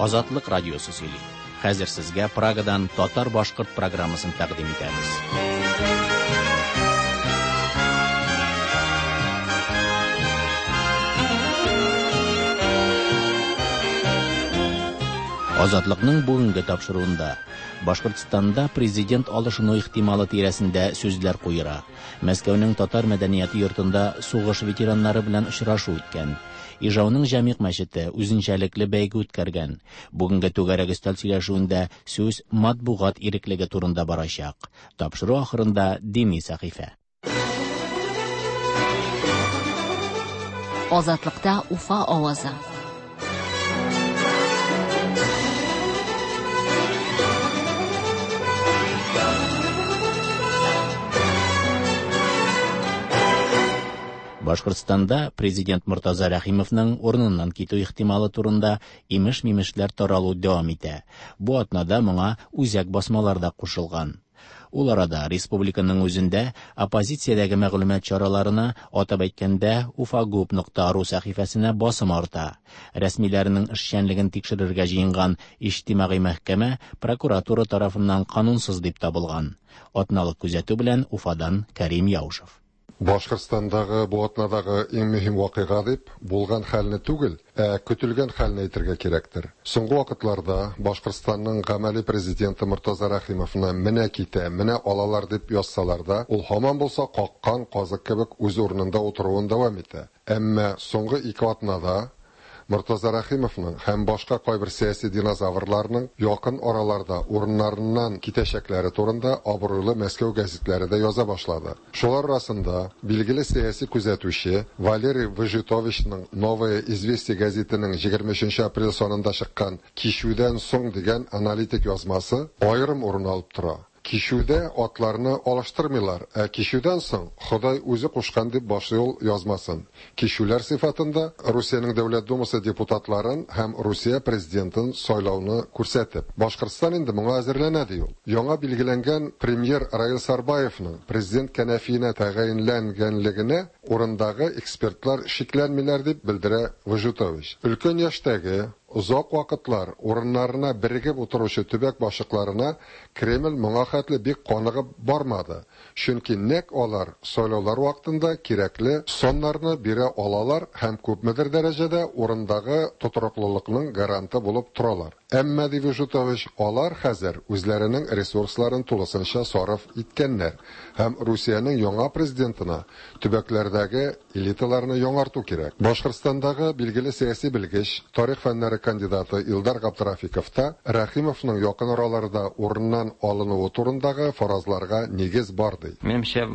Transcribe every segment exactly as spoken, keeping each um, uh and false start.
Азатлык радиосы сөйли. Хәзер сезгә Прагадан татар-башкорт программасын тәкъдим итәбез. Азатлыкның бүгенге тапшыруында Башкортстанда президент алышыну ихтималы тирәсендә сүзләр куера. Мәскәүнең татар мәдәнияте йортында сугыш ветераннары белән очрашу үткән. Ижауның Җәмигъ мәчете үзенчәлекле бәйге үткәргән. Бүгенге түгәрәк өстәл сөйләшүендә сүз матбугат иреклеге турында барачак. Тапшыру ахырында дини сәхифә. Азатлыкта Уфа авазы. Башкортстанда президент Мортаза Рәхимовның урыныннан китү ихтималы турында имеш-мимешләр таралу дәвам итә. Бу атнада моңа үзәк басмалар да кушылган. Ул арада республиканың үзендә оппозициядәге мәгълүмат чараларына, атап әйткәндә, уфагуб нокта ру сәхифәсенә басым арта. Рәсмиләрнең эшчәнлеген тикшерергә җыенган иҗтимагый мәхкәмә прокуратура тарафыннан канунсыз дип табылган. Атналык күзәтү белән Уфадан Карим Яушев. Башкортстандагы бу атнадагы иң мөһим вакыйга дип булган хәлне түгел, ә көтелгән хәлне әйтергә кирәктер. Соңгы вакытларда Башкортстанның гамәли президенты Мортаза Рәхимовны менә китә, менә алалар дип язсалар да, ул һаман булса каккан казык кебек үз урынында утыруын дәвам итә. Әмма соңгы ике атнада Мортаза Рәхимовның һәм башка кайбер сәяси динозаврларның якын араларда урыннарыннан китәчәкләре турында абруйлы Мәскәү гәзитләре дә яза башлады. Шулар арасында билгеле сәяси күзәтүче Валерий Выжитовичның Новое известие гәзитенең егерме өченче апрель санында чыккан Кишүдән соң дигән аналитик язмасы аерым урын алып тора. Кишүдә атларны алыштырмыйлар, ә кишүдән соң Ходай үзе кушкан дип башлый ул язмасын. Кишүләр сыйфатында Русиянең Дәүләт Думасы депутатларын һәм Русия президентын сайлауны күрсәтеп, Башкортстан инде моңа әзерләнә ди ул. Яңа билгеләнгән премьер Раил Сарбаевның президент кәнәфиенә тәгаенләнгәнлегенә урындагы экспертлар шикләнмиләр дип белдерә Выжитович. Өлкән яшьтәге озак вакытлар урыннарына берегеп утыручы төбәк башлыкларына Кремль моңа хәтле бик каныгып бармады. Чөнки нәкъ алар сайлаулар вакытында кирәкле саннарны бирә алалар һәм күпмедер дәрәҗәдә урындагы тотрыклылыкның гаранты булып торалар. Әмма, ди Выжитович, алар хәзер үзләренең ресурсларын тулысынча сарыф иткәннәр һәм Русиянең яңа президентына төбәкләрдәге элиталарны яңарту кирәк. Башкортстандагы билгеле сәяси белгеч, тарих фәннәре кандидаты Илдар Габдрафиков та Рәхимовның якын араларда урыннан алынуы турындагы фаразларга нигез бар ди. Минемчә,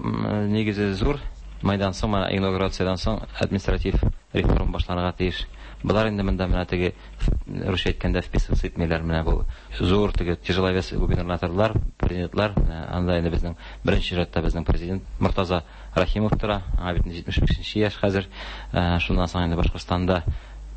нигезе зур. Майдан соң, менә инаугурациядән соң административ реформа башланырга тиеш. Болар инде монда менә теге русча әйткәндә вписываться итмиләр, менә бу зур теге тяжеловес губернаторлар, президентлар, менә анда инде безнең беренче чиратта безнең президент Мортаза Рәхимов тора, аңа бит җитмеш бишенче яшь хәзер. Э, шуннан соң инде Башкортстанда,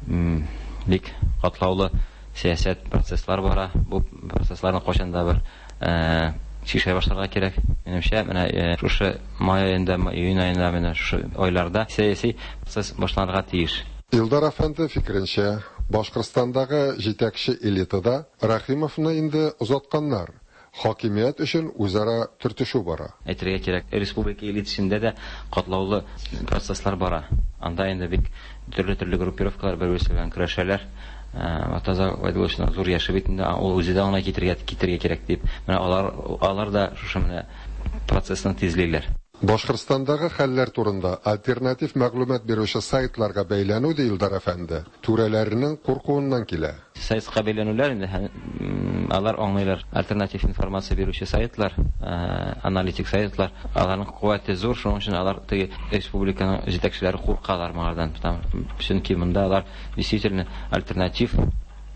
м, бик катлаулы сәясәт процесслар бара. Бу процессларны кайчан да бер, э, шишә башларга кирәк. Минемчә, менә, э, шушы май аенда, июнь аенда, менә шушы айларда сәяси процесс башланырга тиеш. Илдар әфәнде фикеренчә, Башкортстандагы җитәкче элитада Рәхимовны инде озатканнар. Хакимият өчен үзара төртешү бара. Әйтергә кирәк, республика элитасында да катлаулы процесслар бара. Анда инде бик төрле-төрле группировкалар бер-берсе белән көрәшәләр. Э, Мортаза Габәйдулловичның зур яше бит инде, ул үзе дә аңа китергә, китергә кирәк дип. Менә алар, алар да шушы менә процессны тизлиләр. Башкортстандагы хәлләр турында альтернатив мәгълүмат бирүче сайтларга бәйләнү ди Илдар әфәнде, түрәләренең куркуыннан килә. Сайтка бәйләнүләр инде, һәм, м, алар аңлыйлар. Альтернатив информация бирүче сайтлар, э, аналитик сайтлар, аларның куәте зур, шуның өчен алар теге республиканың җитәкчеләре куркалар моңардан. Там, чөнки монда алар действительно альтернатив,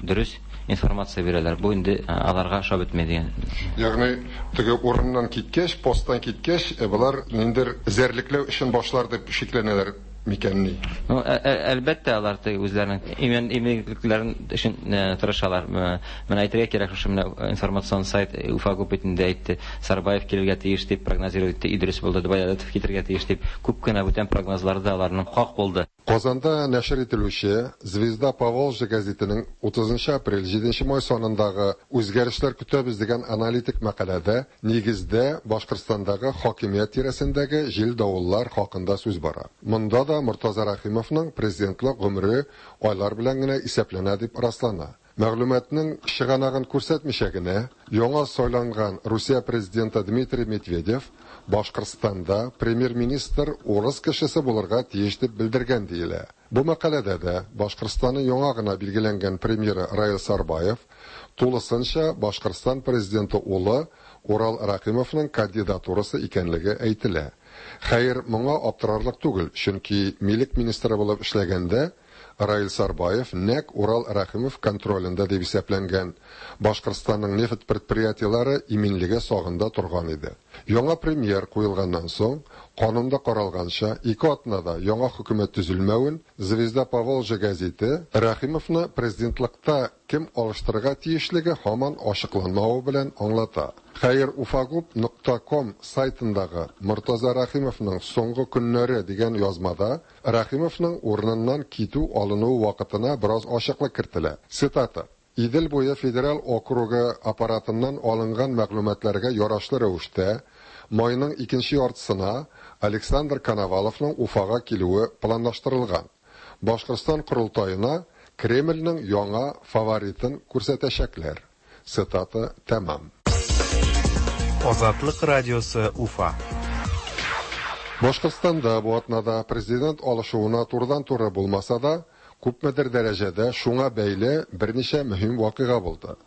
дөрес информация бирәләр. Бу инде, э, аларга ошап бетмәй дигән. Ягъни теге урыннан киткәч, посттан киткәч, э, болар ниндер эзәрлекләү эшен башлар дип шикләнәләр микәнни? Ну, ә, ә, әлбәттә, алар теге үзләренең имин, иминлекләрен өчен, э, тырышалар. Э, менә әйтергә кирәк, шушы менә информацион сайт Уфа күп бит инде әйтте, Сарбаев килергә тиеш дип прогнозировать итте, Идрис булды, Баядатов китергә тиеш дип. Күп кенә бүтән прогнозлар да аларның хак булды. Казанда нәшер ителүче «Звезда Поволжья» гәзитенең утызынчы апрель җиденче май санындагы «Үзгәрешләр көтәбез» дигән аналитик мәкаләдә нигездә Башкортстандагы хакимият тирәсендәге җил-давыллар хакында сүз бара. Монда да Мортаза Рәхимовның президентлык гомере айлар белән генә исәпләнә дип раслана. Мәгълүматның чыганагын күрсәтмичә генә, яңа сайланган Русия президенты Дмитрий Медведев Башкортстанда премьер-министр урыс кешесе булырга тиеш дип белдергән диелә. Бу мәкаләдә дә Башкортстанның яңа гына билгеләнгән премьеры Раил Сарбаев тулысынча Башкортстан президенты улы Урал Рәхимовның кандидатурасы икәнлеге әйтелә. Хәер, моңа аптырарлык түгел, чөнки милек министры булып эшләгәндә Раил Сарбаев нәкъ Урал Рәхимов контролендә дип исәпләнгән Башкортстанның нефть предприятиеләре иминлеге сагында торган иде. Яңа премьер куелганнан соң, канунда каралганча, ике атнада яңа хөкүмәт төзелмәвен «Звезда Поволжья» гәзите Рәхимовны президентлыкта кем алыштырырга тиешлеге һаман ачыкланмавы белән аңлата. Хәер, уфагуб нокта ком сайтындагы Мортаза Рәхимовның соңгы көннәре дигән язмада Рәхимовның урыныннан китү алынуы вакытына бераз ачыклык кертелә. Цитата: Идел буе федераль округы аппаратыннан алынган мәгълүматларга ярашлы рәвештә майның икенче яртысына Александр Коноваловның Уфага килүе планлаштырылган. Башкортстан корылтаена Кремльнең яңа фаворитын күрсәтәчәкләр. Цитата тәмам. Азатлык радиосы Уфа. Башкортстанда бу атнада президент алышуына турыдан-туры булмаса да, күпмедер дәрәҗәдә шуңа бәйле берничә мөһим вакыйга булды.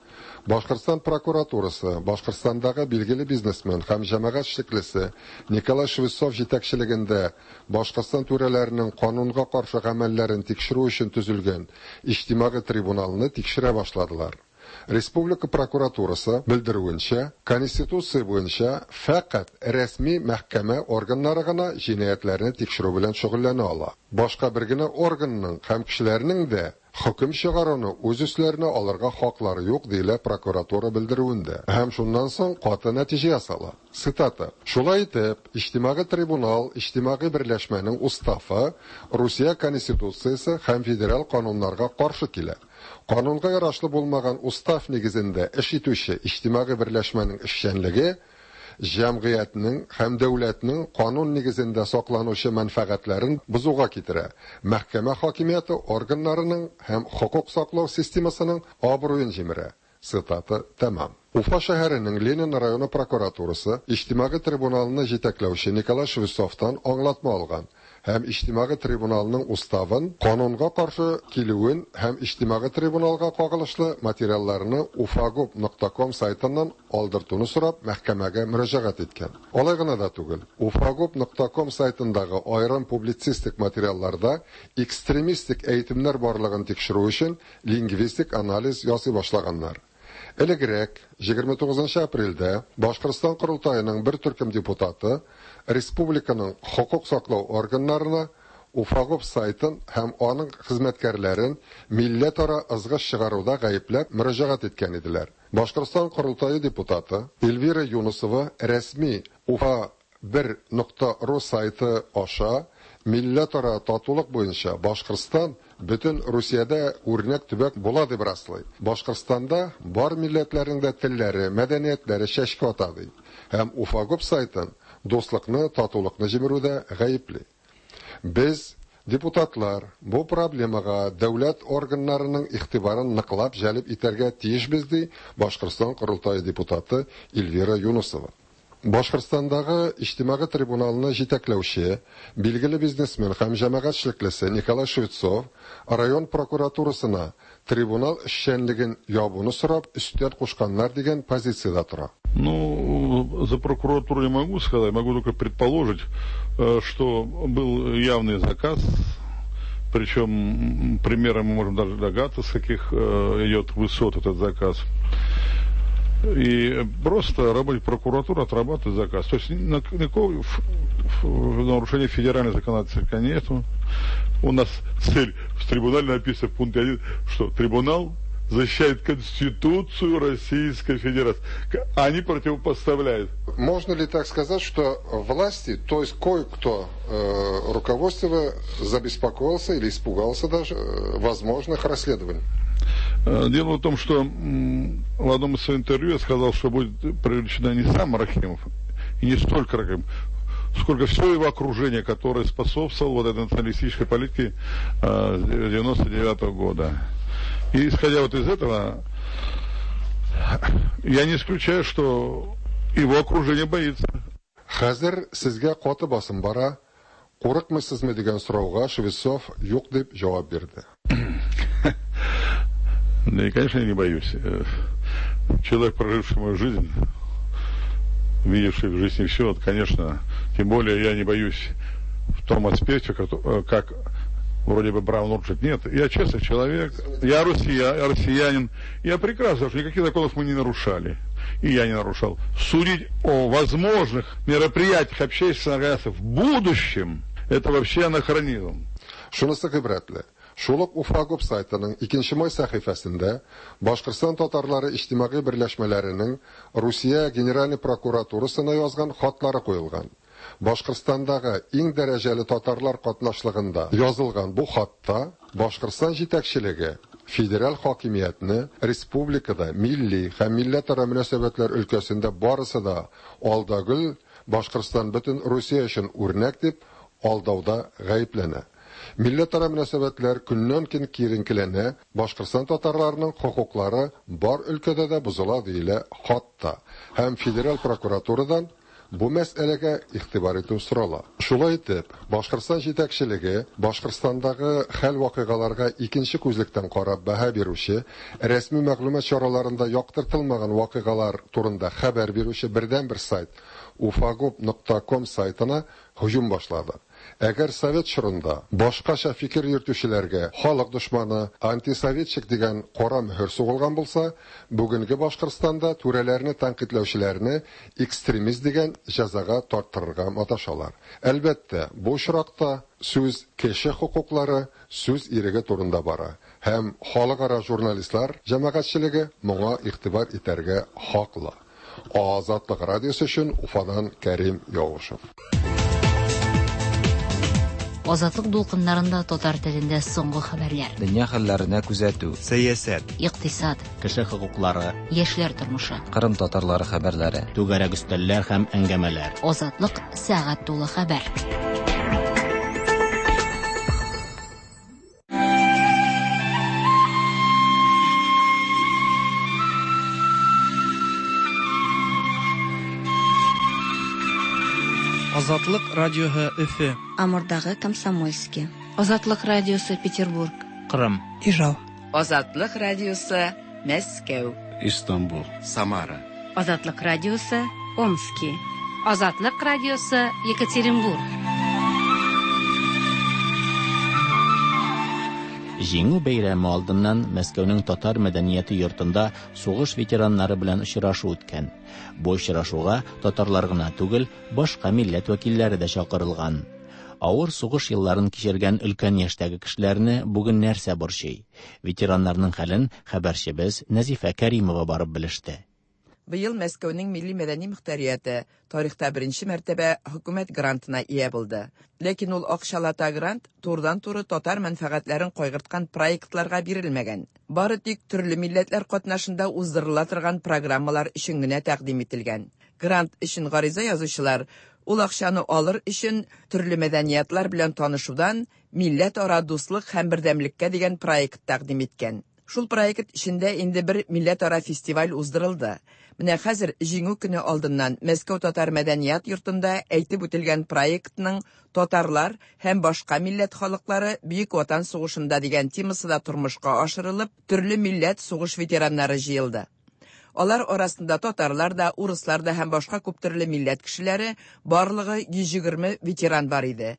Башкортстан прокуратурасы Башкортстандагы билгеле бизнесмен һәм җәмәгать эшлеклесе Николай Швецов җитәкчелегендә Башкортстан түрәләренең канунга каршы гамәлләрен тикшерү өчен төзелгән иҗтимагый трибуналны тикшерә башладылар. Республика прокуратурасы белдерүенчә, Конституция буенча фәкать рәсми мәхкәмә органнары гына җинаятьләрне тикшерү белән шөгыльләнә ала. Башка бер генә органның һәм кешеләрнең дә хөкем чыгаруны үз өсләренә алырга хаклары юк, диелә прокуратура белдерүендә. Һәм шуннан соң каты нәтиҗә ясала. Цитата: Шулай итеп, иҗтимагый трибунал иҗтимагый берләшмәнең уставы Русия Конституциясе һәм федераль кануннарга каршы килә. Канунга ярашлы булмаган устав нигезендә эш итүче иҗтимагый берләшмәнең эшчәнлеге җәмгыятьнең һәм дәүләтнең канун нигезендә сакланучы мәнфәгатьләрен бозуга китерә. Мәхкәмә хакимияте органнарының һәм хокук саклау системасының абруен җимерә. Цитата тәмам. Уфа шәһәренең Ленин районы прокуратурасы иҗтимагый трибуналны җитәкләүче Николай Швецовтан аңлатма алган һәм иҗтимагый трибуналның уставын канунга каршы килүен һәм иҗтимагый трибуналга кагылышлы материалларны уфагуб нокта ком сайтыннан алдыртуны сорап мәхкәмәгә мөрәҗәгать иткән. Алай гына да түгел, уфагуб нокта ком сайтындагы аерым публицистик материалларда экстремистик әйтемнәр барлыгын тикшерү өчен лингвистик анализ ясый башлаганнар. Элегрәк егерме тугызынчы апрельдә Башкортстан корылтаеның бер төркем депутаты республиканың хокук саклау органнарына Уфагуб сайтын һәм аның хезмәткәрләрен милләтара ызгыш чыгаруда гаепләп мөрәҗәгать иткән иделәр. Башкортстан корылтае депутаты Эльвира Юнусова рәсми Уфа бер нокта ру сайты аша милләтара татулык буенча Башкортстан бөтен Русиядә үрнәк төбәк була дип раслый. Башкортстанда бар милләтләрнең дә телләре, мәдәниятләре чәчкә ата ди. Һәм Уфагуб сайтын дуслыкны, татулыкны җимерүдә гаепли. Без, депутатлар, бу проблемага дәүләт органнарының игътибарын ныклап җәлеп итәргә тиешбез, ди Башкортстан корылтае депутаты Эльвира Юнусова. Башкортстандагы иҗтимагый трибуналны җитәкләүче билгеле бизнесмен һәм җәмәгать эшлеклесе Николай Швецов район прокуратурасына трибунал эшчәнлеген ябуны сорап өстәл кушканнар дигән позициядә тора. Ну, за прокуратуру не могу сказать, могу только предположить, что был явный заказ, причем примером мы можем даже догадаться, с каких идет высот этот заказ. И просто работник прокуратуры отрабатывает заказ. То есть никакого нарушения федерального законодательства нету. У нас цель в трибунале написана в пункте один, что трибунал защищает Конституцию Российской Федерации. Они противопоставляют. Можно ли так сказать, что власти, то есть кое-кто э, руководство забеспокоился или испугался даже э, возможных расследований? Дело в том, что в одном из своих интервью я сказал, что будет привлечена не сам Рахимов, и не столько Рахимов, сколько все его окружение, которое способствовало вот этой националистической политике девяносто девятого года. И исходя вот из этого, я не исключаю, что его окружение боится. Хәзер сезгә каты басым бара, курыкмыйсызмы дигән сорауга Швецов юк дип җавап бирде. Да и, конечно, я не боюсь. Человек, проживший мою жизнь, видевший в жизни все, вот, конечно, тем более я не боюсь в том аспекте, как вроде бы Браун Урджит. Нет, я честный человек, я россия, я россиянин, я прекрасно, что никаких законов мы не нарушали, и я не нарушал. Судить о возможных мероприятиях общественных организаций в будущем, это вообще анахронизм. Шунысы гыйбрәтле. Шул ук Уфагоп сайтының икенче май сәхифәсендә Башкортстан татарлары иҗтимагый берләшмәләренең Русия Генеральный прокуратурасына язган хатлары куелган. Башкортстандагы иң дәрәҗәле татарлар катнашлыгында язылган бу хатта Башкортстан җитәкчелеге федераль хакимиятне республикада милли һәм милләтара мөнәсәбәтләр өлкәсендә барысы да алда гөл, Башкортстан бөтен Русия өчен үрнәк дип алдауда гаепләнә. Милләтара мөнәсәбәтләр көннән-көн киеренкеләнә, Башкортстан татарларының хокуклары бар өлкәдә дә бозыла диелә хатта. Һәм федераль прокуратурадан бу мәсьәләгә игътибар итү сорала. Шулай итеп, Башкортстан җитәкчелеге Башкортстандагы хәл-вакыйгаларга икенче күзлектән карап бәһа бирүче, рәсми мәгълүмат чараларында яктыртылмаган вакыйгалар турында хәбәр бирүче бердәнбер сайт уфагоп нокта ком сайтына һөҗүм башлады. Әгәр совет чорында башкача фикер йөртүчеләргә халык дошманы, антисоветчик дигән кара мөһер сугылган булса, бүгенге Башкортстанда түрәләрне тәнкыйтьләүчеләрне экстремист дигән җәзага тарттырырга маташалар. Әлбәттә, бу очракта сүз кеше хокуклары, сүз иреге турында бара. Һәм халыкара журналистлар җәмәгатьчелеге моңа игътибар итәргә хаклы. Азатлык радиосы өчен Уфадан Кәрим Яушев. Азатлык дулкыннарында татар телендә соңгы хәбәрләр. Дөнья хәлләренә күзәтү, сәясәт, икътисад, кеше хокуклары, яшьләр тормышы, Кырым татарлары хәбәрләре, түгәрәк өстәлләр һәм әңгәмәләр. Азатлык сәгать тулы хәбәр. Азатлык радиоһы Өфө. Амурдагы Комсомольский. Азатлык радиосы Петербург. Кырым. Ижау. Азатлык радиосы Мәскәү. Истанбул. Самара. Азатлык радиосы Омски. Азатлык радиосы Екатеринбург. Җиңү бәйрәме алдыннан Мәскәүнең татар мәдәнияте йортында сугыш ветераннары белән очрашу үткән. Бу очрашуга татарлар гына түгел, башка милләт вәкилләре дә чакырылган. Авыр сугыш елларын кичергән өлкән яшьтәге кешеләрне бүген нәрсә борчый? Ветераннарның хәлен хәбәрчебез Нәзифә Кәримова барып белеште. Быел Мәскәүнең милли мәдәни мөхтәрияте тарихта беренче мәртәбә хөкүмәт грантына ия булды. Ләкин ул акчалата грант турыдан-туры татар мәнфәгатьләрен кайгырткан проектларга бирелмәгән. Бары тик төрле милләтләр катнашында уздырыла торган программалар өчен генә тәкъдим ителгән. Грант өчен гариза язучылар ул акчаны алыр өчен төрле мәдәниятлар белән танышудан милләтара дуслык һәм бердәмлеккә дигән проект тәкъдим иткән. Шул проект эчендә инде бер милләтара фестиваль уздырылды. Менә хәзер Җиңү көне алдыннан Мәскәү татар мәдәният йортында әйтеп үтелгән проектның татарлар һәм башка милләт халыклары Бөек Ватан сугышында дигән темасы да тормышка ашырылып, төрле милләт сугыш ветераннары җыелды. Алар арасында татарлар да, урыслар да һәм башка күп төрле милләт кешеләре, барлыгы йөз егерме ветеран бар иде.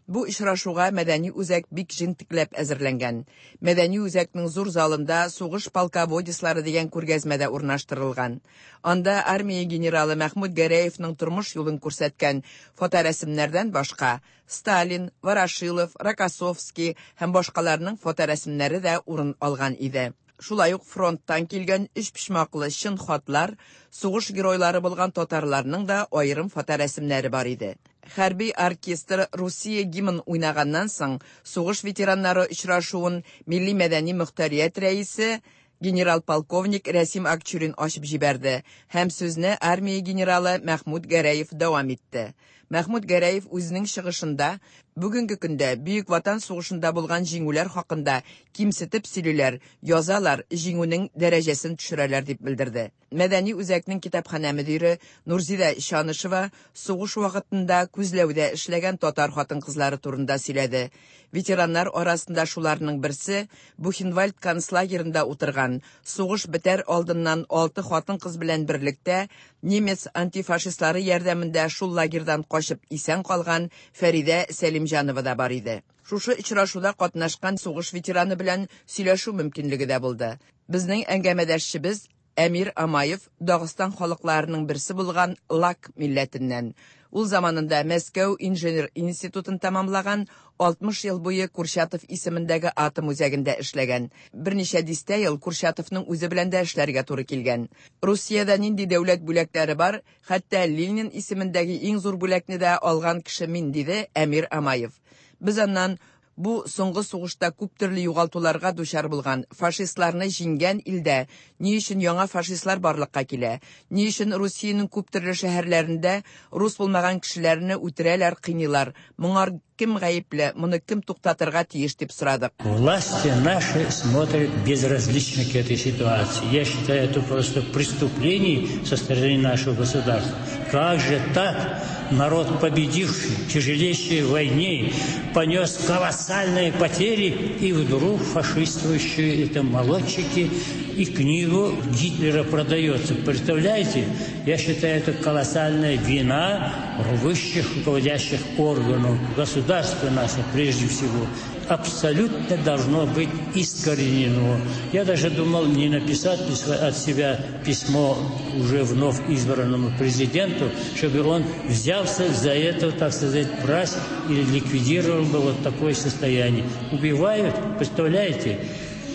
Бу очрашуга мәдәни үзәк бик җентекләп әзерләнгән. Мәдәни үзәкнең зур залында сугыш полководецлары дигән күргәзмә дә урнаштырылган. Анда армия генералы Мәхмүт Гәрәевның тормыш юлын күрсәткән фоторәсемнәрдән башка Сталин, Ворошилов, Рокоссовский һәм башкаларның фоторәсемнәре дә урын алган иде. Шулай ук фронттан килгән өчпочмаклы чын хатлар, сугыш геройлары булган татарларның да аерым фоторәсемнәре бар иде. Хәрби оркестр Русия гимн уйнаганнан соң, сугыш ветераннары очрашуын милли мәдәни мөхтәрият рәисе генерал-полковник Рәсим Акчурин ачып җибәрде һәм сүзне армия генералы Мәхмүт Гәрәев дәвам итте. Мәхмүт Гәрәев үзенең чыгышында бүгенге көндә Бөек Ватан сугышында булган җиңүләр хакында кимсетеп сөйлиләр, язалар, җиңүнең дәрәҗәсен төшерәләр дип белдерде. Мәдәни үзәкнең китапханә мөдире Нурзидә Чанышева сугыш вакытында күзләүдә эшләгән татар хатын-кызлары турында сөйләде. Ветераннар арасында шуларның берсе Бухенвальд концлагерында утырган, сугыш бетәр алдыннан алты хатын-кыз белән берлектә немец антифашистлары ярдәмендә шул лагерьдан качып исән калган Фәридә Сәлимҗанова да бар иде. Шушы очрашуда катнашкан сугыш ветераны белән сөйләшү мөмкинлеге дә булды. Безнең әңгәмәдәшчебез Әмир Амаев Дагыстан халыкларының берсе булган Лак милләтеннән. Ул заманында Мәскәү инженер институтын тәмамлаган, алтмыш ел буе Курчатов исемендәге атом үзәгендә эшләгән. Берничә дистә ел Курчатовның үзе белән дә эшләргә туры килгән. Русиядә нинди дәүләт бүләкләре бар, хәтта Ленин исемендәге иң зур бүләкне дә алган кеше мин, диде Әмир Амаев. Без аннан бу соңгы сугышта күп төрле югалтуларга дучар булган фашистларны җиңгән илдә ни өчен яңа фашистлар барлыкка килә, ни өчен Русиянең күп төрле шәһәрләрендә рус булмаган кешеләрне үтерәләр, кыйныйлар, моңар кем гаепле, моны кем туктатырга тиеш дип сорадык. Власти наши смотрят безразлично к этой ситуации. Я считаю, это просто преступление со стороны нашего государства. Как же так? Народ, победивший в тяжелейшей войне, понес колоссальные потери, и вдруг фашистующие это молодчики, и книгу Гитлера продается. Представляете? Я считаю, это колоссальная вина высших руководящих органов государства нашего, прежде всего. Абсолютно должно быть искоренено. Я даже думал, не написать от себя письмо уже вновь избранному президенту, чтобы он взялся за это, так сказать, брать или ликвидировал бы вот такое состояние. Убивают, представляете?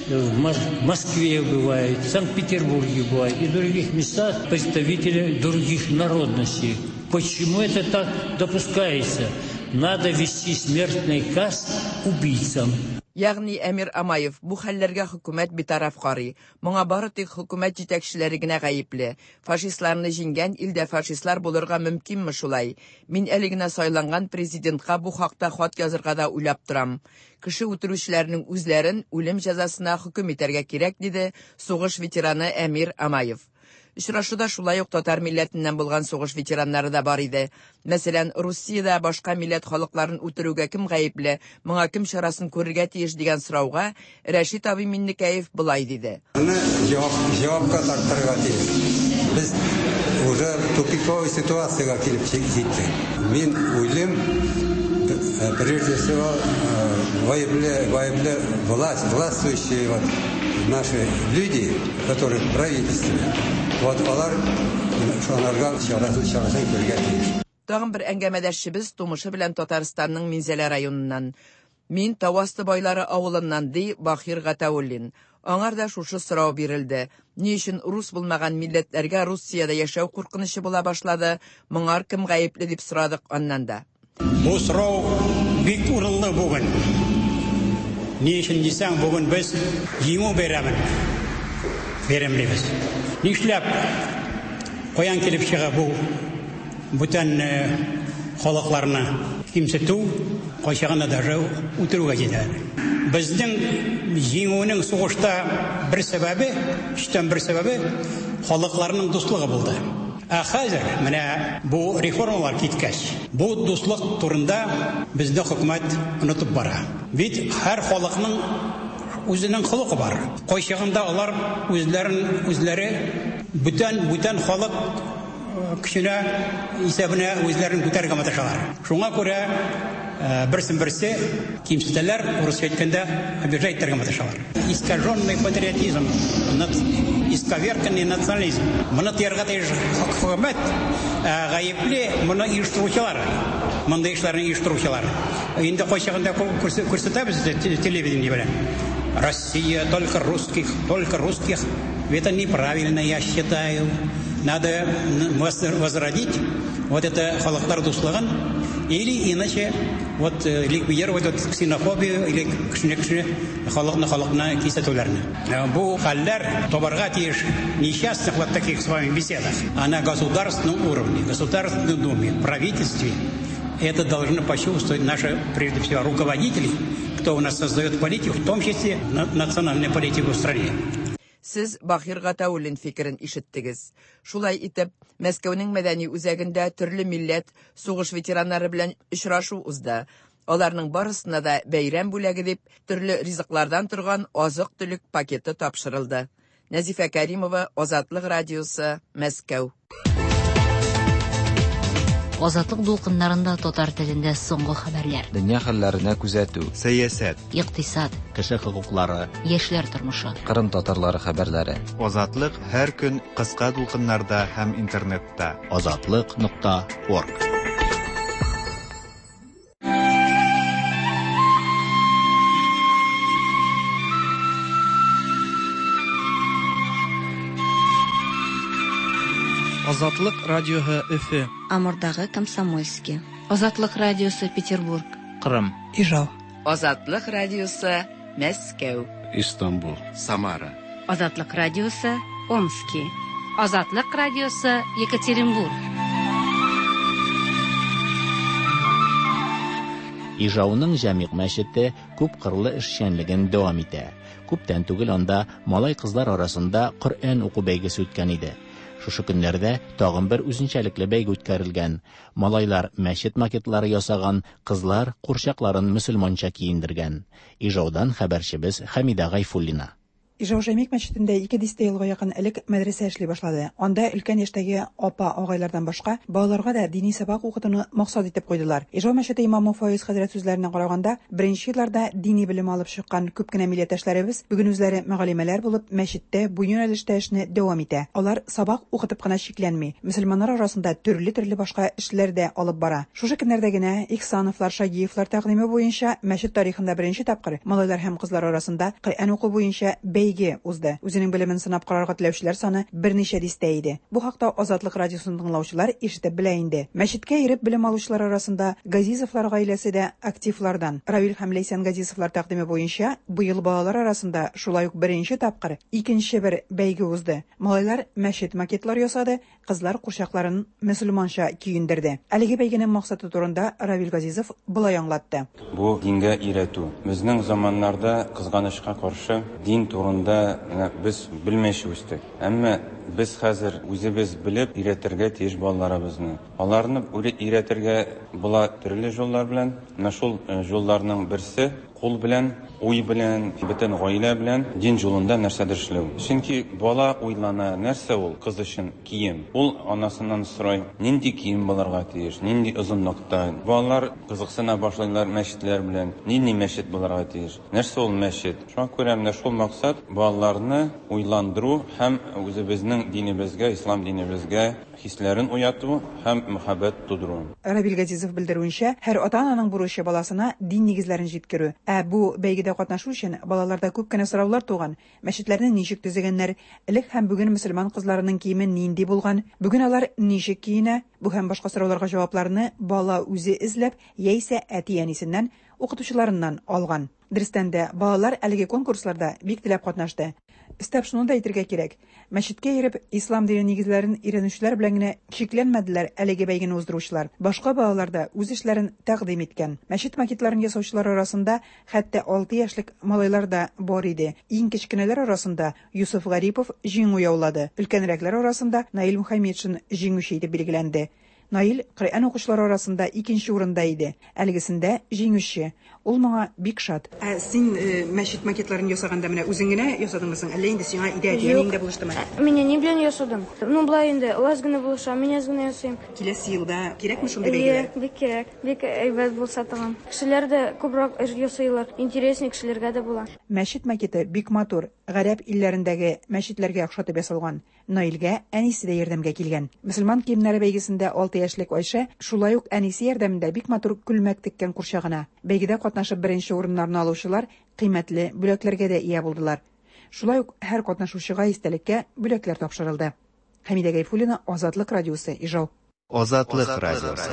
В Москве убивают, в Санкт-Петербурге убивают и в других местах представители других народностей. Почему это так допускается? Надо ввести смертный каз убийцам. Ягъни Әмир Амаев бу хәлләргә хөкүмәт битараф карый. Моңа бары тик хөкүмәт җитәкчеләре генә гаепле. Фашистларны җиңгән илдә фашистлар булырга мөмкинме шулай? Мин әле генә сайланган президентка бу хакта хат язырга да уйлап торам. Кеше үтерүчеләрнең үзләрен үлем җәзасына хөкем итәргә кирәк, диде сугыш ветераны Әмир Амаев. Очрашуда шулай ук татар милләтеннән булган сугыш ветераннары да бар иде. Мәсәлән, Русиядә башка милләт халыкларын үтерүгә кем гаепле, моңа кем чарасын күрергә тиеш дигән сорауга Рәшит абый Миннекәев болай диде. Моны җавап җавапка тартырга тиеш. Без уже тупиковый ситуациягә килеп җиттек. Мин уйлыйм, прежде всего, гаепле, гаепле власть, властвующие вот наши люди, которые в правительстве, вот алар шуңарга чарасын чарасын күрергә тиеш. Тагын бер әңгәмәдәшчебез тумышы белән Татарстанның Минзәлә районыннан. Мин Тауасты байлары авылыннан, ди Бахир Гатауллин. Аңар да шушы сорау бирелде. Ни өчен рус булмаган милләтләргә Русиядә яшәү куркынычы була башлады? Моңар кем гаепле дип сорадык аннан да. Бу сорау бик урынлы бүген. Ни өчен дисәң, бүген без җиңү бәйрәмен бәйрәмлибез. Нишләп каян килеп чыга бу бүтән халыкларны кимсетү, кайчагында даже үтерүгә җитә. Безнең җиңүнең сугышта бер сәбәбе, өчтән бер сәбәбе халыкларның дуслыгы булды. Ә хәзер менә бу реформалар киткәч, бу дуслык турында безнең хөкүмәт онытып бара. Бит һәр халыкның үзенең холкы бар. Кайчагында алар үзләрен үзләре бүтән бүтән халык көченә исәбенә үзләрен күтәрергә маташалар. Шуңа күрә берсен берсе кимсетәләр, урысча әйткәндә, обижать итәргә маташалар. Искаженный патриотизм, исковерканный национализм. Моны тыярга тиеш хөкүмәт, гаепле моны оештыручылар, мондый эшләрне оештыручылар. Инде кайчагында күрсәтәбез телевидение белән. Россия, только русских, только русских. Это неправильно, я считаю. Надо возродить вот это халыклар дуслыгын, или иначе вот ликвидировать вот ксенофобию или кешене-кеше халыкны халыкны кисәтүләрне. Бу хәлләр табарга тиеш несчастных вот таких с вами беседах, а на государственном уровне, Государственной Думе, правительстве это должны почувствовать наши, прежде всего, руководители, кто у нас создает политику, в том числе национальную политику в стране. Сез Бахир Гатауллин фикерен ишеттегез. Шулай итеп, Мәскәүнең мәдәни үзәгендә төрле милләт сугыш ветераннары белән очрашу узды. Аларның барысына да бәйрәм бүләге дип төрле ризыклардан торган азык-төлек пакеты тапшырылды. Нәзифә Кәримова, Азатлык радиосы, Мәскәү. Азатлык дулкыннарында татар телендә соңгы хәбәрләр. Дөнья хәлләренә күзәтү. Сәясәт. Икътисад. Кеше хокуклары. Яшьләр тормышы. Кырым татарлары хәбәрләре. Азатлык һәр көн кыска дулкыннарда һәм интернетта. Азатлык нокта орг. Азатлык радиоһы Өфө. Амурдагы Комсомольский. Азатлык радиосы Петербург. Кырым. Ижау. Азатлык радиосы Мәскәү. Истанбул. Самара. Азатлык радиосы Омски. Азатлык радиосы Екатеринбург. Ижауның Җәмигъ мәчете күп кырлы эшчәнлеген дәвам итә. Күптән түгел анда малай-кызлар арасында Коръән уку бәйгесе үткән иде. Шушы көннәрдә тагын бер үзенчәлекле бәйге үткәрелгән. Малайлар мәчет макетлары ясаган, кызлар курчакларын мөселманча киендергән. Ижаудан хәбәрчебез Хәмидә Гайфуллина. Ижау Җәмигъ мәчетендә ике дистә елга якын элек мәдрәсә эшли башлады. Анда өлкән яшьтәге апа агайлардан башка балаларга да дини сабак укытуны максат итеп куйдылар. Ижау мәчете имамы Фаиз хәзрәт сүзләренә караганда, беренче елларда дини белем алып чыккан күп кенә милләттәшләребез бүген үзләре мөгаллимәләр булып мәчеттә бу юнәлештә эшне дәвам итә. Алар сабак укытып кына чикләнми, мөселманнар арасында төрле-төрле башка эшләр дә алып бара. Шушы көннәрдә генә Ихсановлар, Шагиевлар тәкъдиме буенча мәчет тарихында беренче тапкыр малайлар һәм кызлар арасында Коръән уку буенча бәйге узды. Үзенең белемен сынап карарга теләүчеләр саны берничә дистә иде. Бу хакта Азатлык радиосын тыңлаучылар ишетеп белә инде. Мәчеткә йөреп белем алучылар арасында Газизовлар гаиләсе дә активлардан. Равил һәм Ләйсән Газизовлар тәкъдиме буенча быел балалар арасында шулай ук беренче тапкыр икенче бер бәйге узды. Малайлар мәчет макетлар ясады, кызлар курчакларын мөселманча киендерде. Әлеге бәйгенең максаты турында Равил Газизов болай аңлатты. Бу дингә өйрәтү. Безнең заманнарда кызганычка каршы дин турында без белмәйчә үстек. Әмма без хәзер үзебез белеп өйрәтергә тиеш балаларыбызны. Аларны өйрәтергә була төрле юллар белән. Менә шул юлларның берсе кул белән, уй белән, бөтен гаилә белән дин юлында нәрсәдер эшләү. Чөнки бала уйлана, нәрсә ул кыз өчен кием. Ул анасыннан сорай, нинди кием булырга тиеш, нинди озынлыкта. Балалар кызыксына башлыйлар мәчетләр белән, нинди мәчет булырга тиеш, нәрсә ул мәчет. Шуңа күрә менә шул максат балаларны уйландыру һәм үзебезнең динебезгә, ислам динебезгә хисләрен уяту һәм мәхәббәт тудыру. Равил Газизов белдерүенчә, һәр ата-ананың бурычы баласына дин нигезләрен җиткерү. Ә бу бәйгедә катнашу өчен балаларда күп кенә сораулар туган. Мәчетләрне ничек төзегәннәр, элек һәм бүген мөселман кызларының киеме нинди булган, бүген алар ничек киенә, бу һәм башка сорауларга җавапларны бала үзе эзләп, яисә әти-әнисеннән, укытучыларыннан алган. Дөрестән дә, балалар әлеге конкурсларда бик теләп катнашты. Өстәп шуны да әйтергә кирәк, мәчеткә йөреп ислам дине нигезләрен өйрәнүчеләр белән генә чикләнмәделәр әлеге бәйгене уздыручылар. Башка балалар да үз эшләрен тәкъдим иткән. Мәчет макетларын ясаучылар арасында хәтта алты яшьлек малайлар да бар иде. Иң кечкенәләр арасында Юсуф Гарипов җиңү яулады. Өлкәнрәкләр арасында Наил Мухаммедшин җиңүче итеп билгеләнде. Наил Коръән укучылар арасында икенче урында иде. Әлегесендә җиңүче. Ул моңа бик шат. Ә син мәчет макетларын ясаганда менә үзең генә ясадыңмы соң, әллә инде сиңа өйдә әти-әниең дә булыштымы? Мин әни белән ясадым. Ну, болай инде, ул аз гына булыша, мин аз гына ясыйм. Киләсе елда кирәкме шундый бәйгеләр? Бик кирәк. Бик әйбәт булса тагын. Кешеләр дә күбрәк эш ясыйлар, интересный кешеләргә дә була. Мәчет макеты бик матур, гарәп илләрендәге мәчетләргә охшатып ясалган. Наилгә әнисе дә ярдәмгә килгән. Мөселман киемнәре бәйгесендә алты яшьлек Айшә шулай ук әнисе ярдәмендә бик матур күлмәк теккән курчагына. Бәйгедә катнашып беренче урыннарны алучылар кыйммәтле бүләкләргә дә ия булдылар. Шулай ук һәр катнашучыга истәлеккә бүләкләр тапшырылды. Хәмидә Гайфуллина, Азатлык радиосы, Ижау. Азатлык радиосы.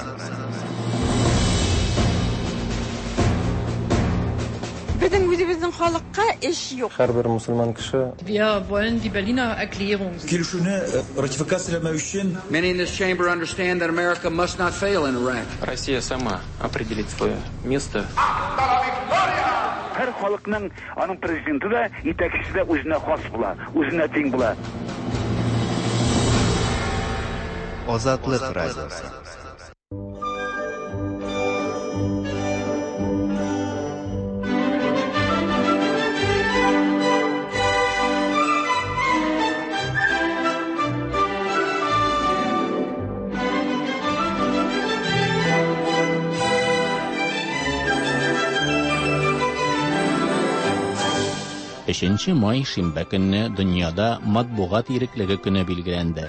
Безнең үзебезнең халыкка эш юк. Һәрбер мусульман кеше. Wir wollen die Berliner Erklärung. Килешүне ратификацияләмәү өчен. Many in this chamber understand that America must not fail in Iraq. Россия сама определит свое место. Һәр халыкның аның президенты да, итәкчесе дә үзенә хас була, үзенә тиң була. Азатлык радиосы. Өченче май шимбә көнне дөньяда матбугат иреклеге көне билгеләнде.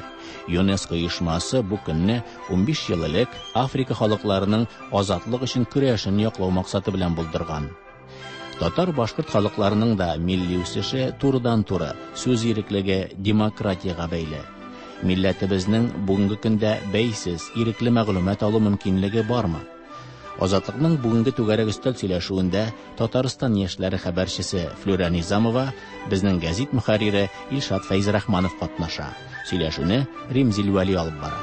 ЮНЕСКО оешмасы бу көнне унбиш ел элек Африка халыкларының азатлык өчен көрәшен яклау максаты белән булдырган. Татар-башкорт халыкларының да милли үсеше турыдан-туры сүз иреклеге демократиягә бәйле. Милләтебезнең бүгенге көндә бәйсез, ирекле мәгълүмат алу мөмкинлеге бармы? Азатлыкның бүгенге түгәрәк өстәл сөйләшүендә Татарстан яшьләре хәбәрчесе Флюра Низамова, безнең гәзит мөхәррире Илшат Фәйзрахманов катнаша. Сөйләшүне Римзил Вәли алып бара.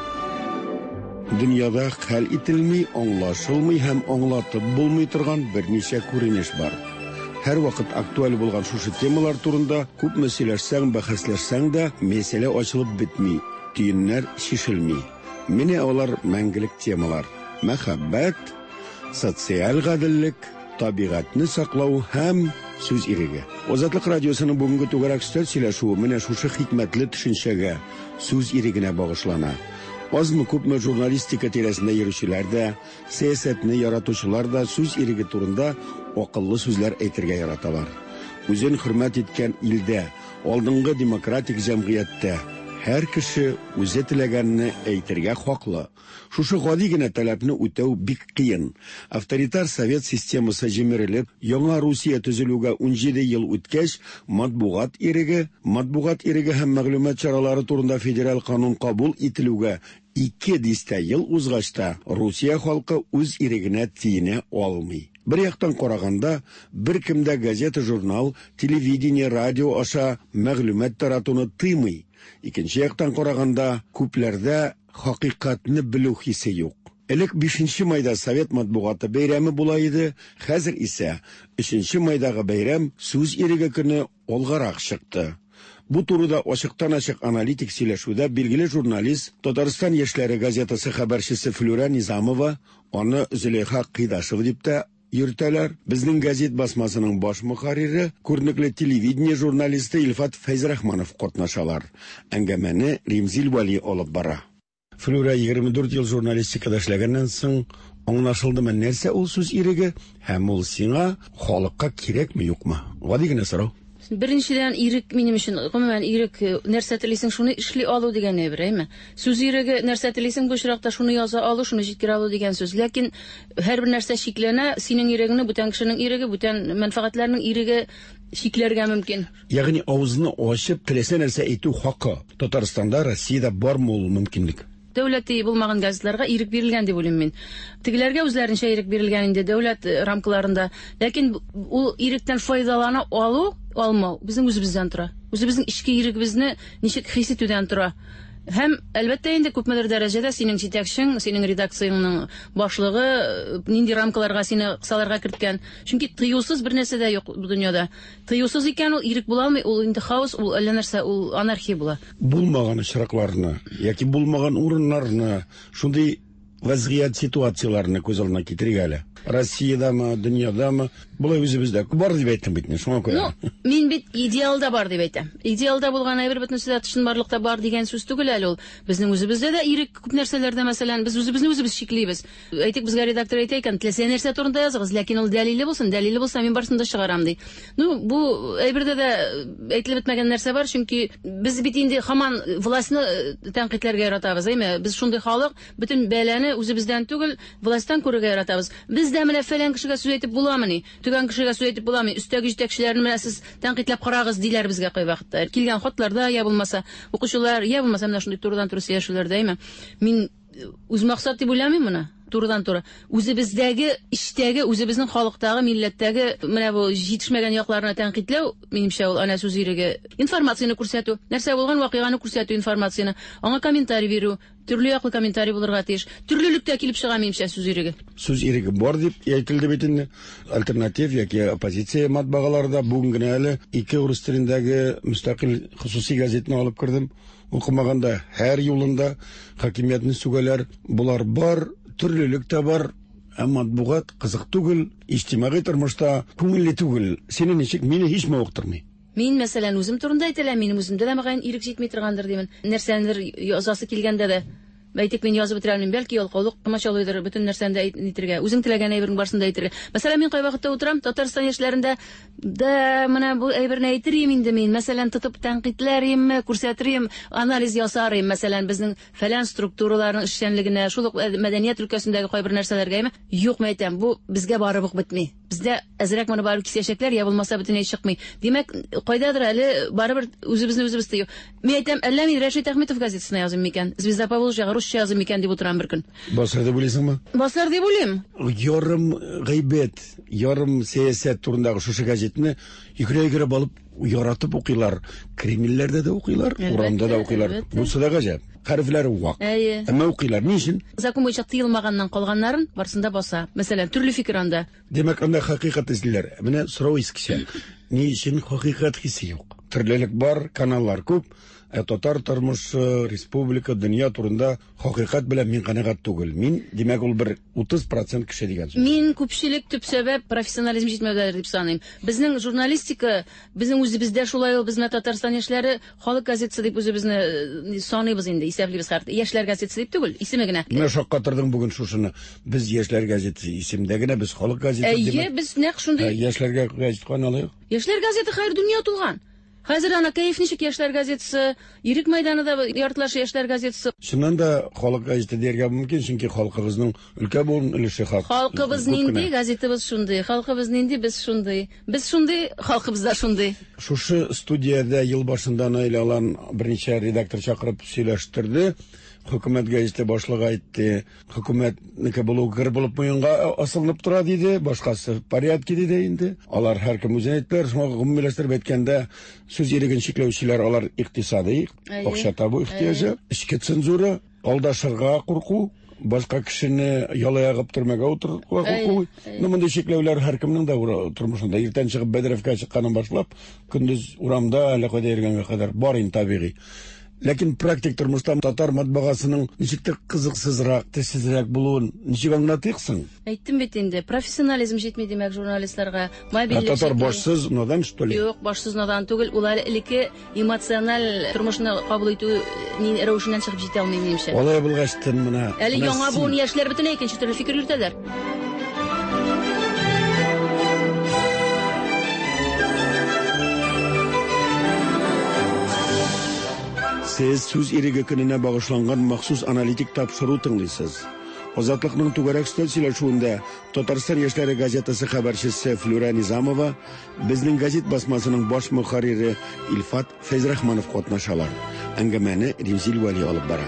Дөньяда хәл ителми, аңлашылмый һәм аңлатып булмый торган берничә күренеш бар. Һәр вакыт актуаль булган шушы темалар турында күпме сөйләшсәң, бәхәсләшсәң дә, мәсьәлә ачылып бетми, төеннәр чишелми. Менә алар мәңгелек темалар. Мәхәббәт, социаль гаделлек, табигатьне саклау һәм сүз иреге. Азатлык радиосының бүгенге түгәрәк өстәл сөйләшүе менә шушы хикмәтле төшенчәгә, сүз ирегенә багышлана. Азмы күпме журналистика тирәсендә йөрүчеләр дә, сәясәтне яратучылар да сүз иреге турында акыллы сүзләр әйтергә яраталар. Үзен хөрмәт иткән илдә, алдынгы демократик җәмгыятьтә һәр кеше үзе теләгәнне әйтергә хаклы. Шушы гади генә таләпне үтәү бик кыен. Авторитар совет системасы җимерелеп, яңа Русия төзелүгә унҗиде ел үткәч, матбугат иреге, матбугат иреге һәм мәгълүмат чаралары турында федераль канун кабул ителүгә ике дистә ел узгач та Русия халкы үз ирегенә тиенә алмый. Бер яктан караганда, беркем дә газета, журнал, телевидение, радио аша мәгълүмат таратуны тыймый. Икенче яктан караганда, күпләрдә хакыйкатьне белү хисе юк. Элек бишенче майда совет матбугаты бәйрәме була иде, хәзер исә өченче майдагы бәйрәм сүз иреге көне алгарак чыкты. Бу турыда ачыктан-ачык аналитик сөйләшүдә билгеле журналист, Татарстан яшьләре газетасы хәбәрчесе Флюра Низамова, аны Зөләйха Кыйдашева дип тә йөртәләр. Безнең газет басмасының баш мөхәррире, күренекле телевидение журналисты Илфат Фәйзрахманов катнашалар. Әңгәмәне Римзил Вәли алып бара. Флюра егерме дүрт ел журналистикада эшләгәннән соң аңлашылдымы нәрсә ул сүз иреге һәм ул сиңа халыкка кирәкме юкмы? Гади генә сорау. Беренчедән, ирек минем өчен, гомумән ирек нәрсә телисең шуны эшли алу дигән әйбер, әйме? Сүз иреге нәрсә телисең бу очракта шуны яза алу, шуны җиткерә алу дигән сүз. Ләкин һәрбер нәрсә чикләнә, синең ирегеңне бүтән кешенең иреге, бүтән мәнфәгатьләрнең иреге чикләргә мөмкин. Ягъни авызны ачып теләсә нәрсә әйтү хакы Татарстанда, Россиядә бармы ул мөмкинлек? Дәүләти булмаган газетларга ирек бирелгән дип уйлыйм мин. Тегеләргә үзләренчә ирек бирелгән инде дәүләт рамкаларында. Ләкин ул иректән файдалана алу, алмау безнең үзебездән тора. Үзебезнең эчке ирегебезне ничек хис итүдән тора. Һәм әлбәттә инде күпмедер дәрәҗәдә синең җитәкчең, синең редакцияңның башлыгы нинди рамкаларга сине кысаларга керткән. Чөнки тыюсыз бер нәрсә дә юк бу дөньяда. Тыюсыз икән ул ирек була алмый, ул инде хаос, ул әллә нәрсә, ул анархия була. Булмаган очракларны яки булмаган урыннарны, шундый вазгыять ситуацияләрне күз алдына китерик әле. Россиядәме, дөньядамы, болай үзебездә бар дип әйттем бит, шуңа күрә. Ну, мин бит идеалда бар дип әйтәм. Идеалда булган әйбер бөтенесе дә чынбарлыкта бар дигән сүз түгел әле ул. Безнең үзебездә дә ирек күп нәрсәләрдә, мәсәлән, без үзебезне үзебез чиклибез. Әйтик, безгә редактор әйтә икән, теләсә нәрсә турында языгыз, ләкин ул дәлиле булсын, дәлиле булса мин барысын да чыгарам ди. Ну, бу әйбердә дә әйтелеп бетмәгән нәрсә бар, чөнки без бит инде һаман властьны тәнкыйтьләргә яратабыз, әйме? Без шундый халык, бөтен бәлане үзебездән түгел, властьтан күрергә яратабыз. Без дә менә фәлән кешегә сүз әйтеп буламыни? Төгән кешегә сүз әйтеп буламы? Өстәге җитәкчеләрне менә сез тәнкыйтьләп карагыз диләр безгә кайвакытта. Килгән хатларда я булмаса укучылар, я булмаса менә шундый турыдан-туры сөйләшүләрдә, әйме? Мин үз максат дип уйламыйм моны. Турыдан-туры. Үзебездәге, эчтәге, үзебезнең халыктагы, милләттәге менә бу җитешмәгән якларына тәнкыйтьләү, минемчә, ул ана сүз иреге. Информацияне күрсәтү, нәрсә булган вакыйганы күрсәтү информацияне, аңа комментарий бирү, төрле яклы комментарий булырга тиеш. Төрлелектә килеп чыга минемчә сүз иреге. Сүз иреге бар дип әйтелде бит инде. Альтернатив яки оппозиция матбагаларда бүген генә әле ике урыс телендәге мөстәкыйль хосуси газетны алып кердем. Укымаганда һәр юлында хакимиятне сүгәләр. Булар бар, төрлелек тә бар, ә матбугат кызык түгел, иҗтимагый тормышта күңелле түгел. Сине ничек, мине һич мавыктырмый. Мин, мәсәлән, үзем турында әйтәләм, минем үземдә дә мөгаен ирек җитми торгандыр димен. Нәрсәнедер язасы килгәндә дә, әйтик, мин язып бетерә алмыйм, бәлки ялкаулык комачаулыйдыр бөтен нәрсәне дә әйтергә, үзең теләгән әйбернең барысын да әйтергә. Мәсәлән, мин кайвакытта утырам, Татарстан яшьләрендә да менә бу әйберне әйтер идем инде мин, мәсәлән, тотып тәнкыйтьләр идемме, күрсәтер идем, анализ ясар идем, мәсәлән, безнең фәлән структураларның эшчәнлегенә, шул ук мәдәният өлкәсендәге кайбер нәрсәләргә, әйме? Юк, мин әйтәм, бу безгә барып ук бетми. Бездә әзрәк моны барып кисәчәкләр, я булмаса бөтенләй чыкмый. Димәк, кайдадыр әле барыбер үзебезне үзебез тыю. Мин әйтәм, әллә мин Рәшит Әхмәтов газетасына языйм микән? Звезда Поволжьяга русча языйм микән дип утырам бер көн. Басар дип уйлыйсыңмы? Басар дип уйлыйм. Ярым гайбәт, ярым сәясәт турындагы шушы газетны йөгерә-йөгерә алып яратып укыйлар. Кремльләрдә дә укыйлар, урамда да укыйлар. Бусы да гаҗәп. Хәрефләре вак. Әмма укыйлар. Ни өчен? Закон буенча тыелмаганнан калганнарын барысын да баса. Мәсәлән, төрле фикер анда. Димәк, анда хакыйкать эзлиләр. Менә сорау искечә. Ни өчен хакыйкать хисе юк? Төрлелек бар, каналлар күп. Ә татар тормышы, республика, дөнья турында хакыйкать белән мин канәгать түгел. Мин, димәк, ул бер утыз процент кеше дигән сүз. Мин күпчелек төп сәбәп профессионализм җитмәүдәдер дип саныйм. Безнең журналистика, безнең үзебездә шулай ул, безнең Татарстан яшьләре халык газетасы дип үзебезне саныйбыз инде, исәплибез хәтта. Яшьләр газетасы дип түгел, исеме генә. Менә шаккатырдың бүген шушыны. Без яшьләр газетасы исемдә генә, без халык газетасы дип. Әйе, без нәкъ шундый. Яшьләргә газет кайдан алыйк? Яшьләр газеты хәер дөнья тулган. Хәзер ана кәеф ничек яшьләр газетасы, Ирек мәйданы да яртылаш яшьләр газетасы. Чыннан да халык газеты дияргә мөмкин, чөнки халкыбызның өлкә буын өлеше хак. Халкыбыз нинди, газетыбыз шундый. Халкыбыз нинди, без шундый. Без шундый, халкыбыз да шундый. Шушы студиядә ел башында Наил Алан берничә редактор чакырып сөйләштерде. Хөкүмәт газеты башлыгы әйтте, хөкүмәтнеке булу гыр булып муенга асылынып тора диде, башкасы в порядке диде инде. Алар һәркем үзен әйттеләр, шуңа гомумиләштереп әйткәндә, сүз иреген чикләүчеләр алар икътисади, акча табу ихтыяҗы, эчке цензура, алдашырга курку, башка кешене ялаягып төрмәгә утыртуга курку. Ну, мондый чикләүләр һәркемнең дә тормышында. Иртән чыгып бәдрәфкә чыкканнан башлап, көндез урамда әллә кайда йөргәнгә кадәр бар инде табигый. Ләкин практик тормышта татар матбагасының ничектер кызыксызрак, тешсезрәк булуын ничек аңлатыйксың? Әйттем бит инде, профессионализм җитми димәк журналистларга. Мобильлек. Татар башсыз надан, что ли? Юк, башсыз надан түгел, ул әле элекке эмоциональ тормышны кабул итү рәвешеннән чыгып җитә алмый минемчә. Алай булгач тын менә. Әле яңа буын яшьләр бөтенләй икенче төрле фикер йөртәләр. Сез сүз иреге көненә багышланган махсус аналитик тапшыру тыңлыйсыз. Азатлыкның түгәрәк өстәл сөйләшүендә Татарстан яшьләре газетасы хәбәрчесе Флюра Низамова, безнең газет басмасының баш мөхәррире Илфат Фәйзрахманов катнашалар. Әңгәмәне Римзил Вәли алып бара.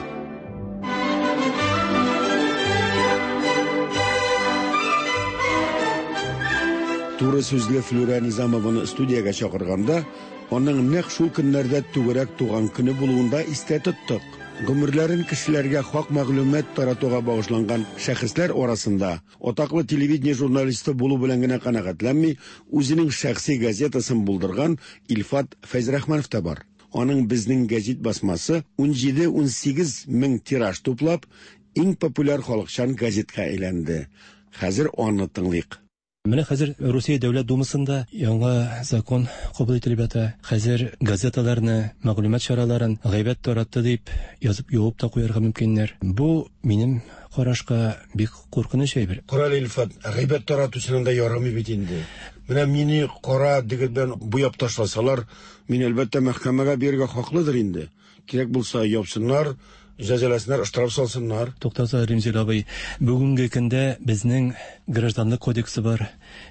Туры сүзле Флюра Низамованы студиягә чакырганда, аның нәкъ шул көннәрдә түгәрәк туган көне булуында истә тоттык. Гомерләрен кешеләргә хак мәгълүмат таратуга багышланган шәхесләр арасында атаклы телевидение журналисты булу белән генә канәгатьләнми, үзенең шәхси газетасын булдырган Илфат Фәйзрахманов та бар. Аның безнең газет басмасы ун җиде-ун сигез мең тираж туплап, иң популяр халыкчан газетка әйләнде. Хәзер аны тыңлыйк. Менә хәзер Русия Дәүләт Думасында яңа закон кабул ителеп ята. Хәзер газеталарны, мәгълүмат чараларын гайбәт таратты дип язып юып та куярга мөмкиннәр. Бу минем карашка бик куркыныч әйбер. Карале, Илфат, гайбәт таратучының да ярамый бит инде. Менә мине кара дегет белән буяп ташласалар, мин әлбәттә мәхкәмәгә бирергә хаклыдыр инде. Кирәк булса япсыннар, җәзаласыннар, штраф салсыннар. Туктаса, Римзил абый, бүгенге көндә безнең гражданлык кодексы бар,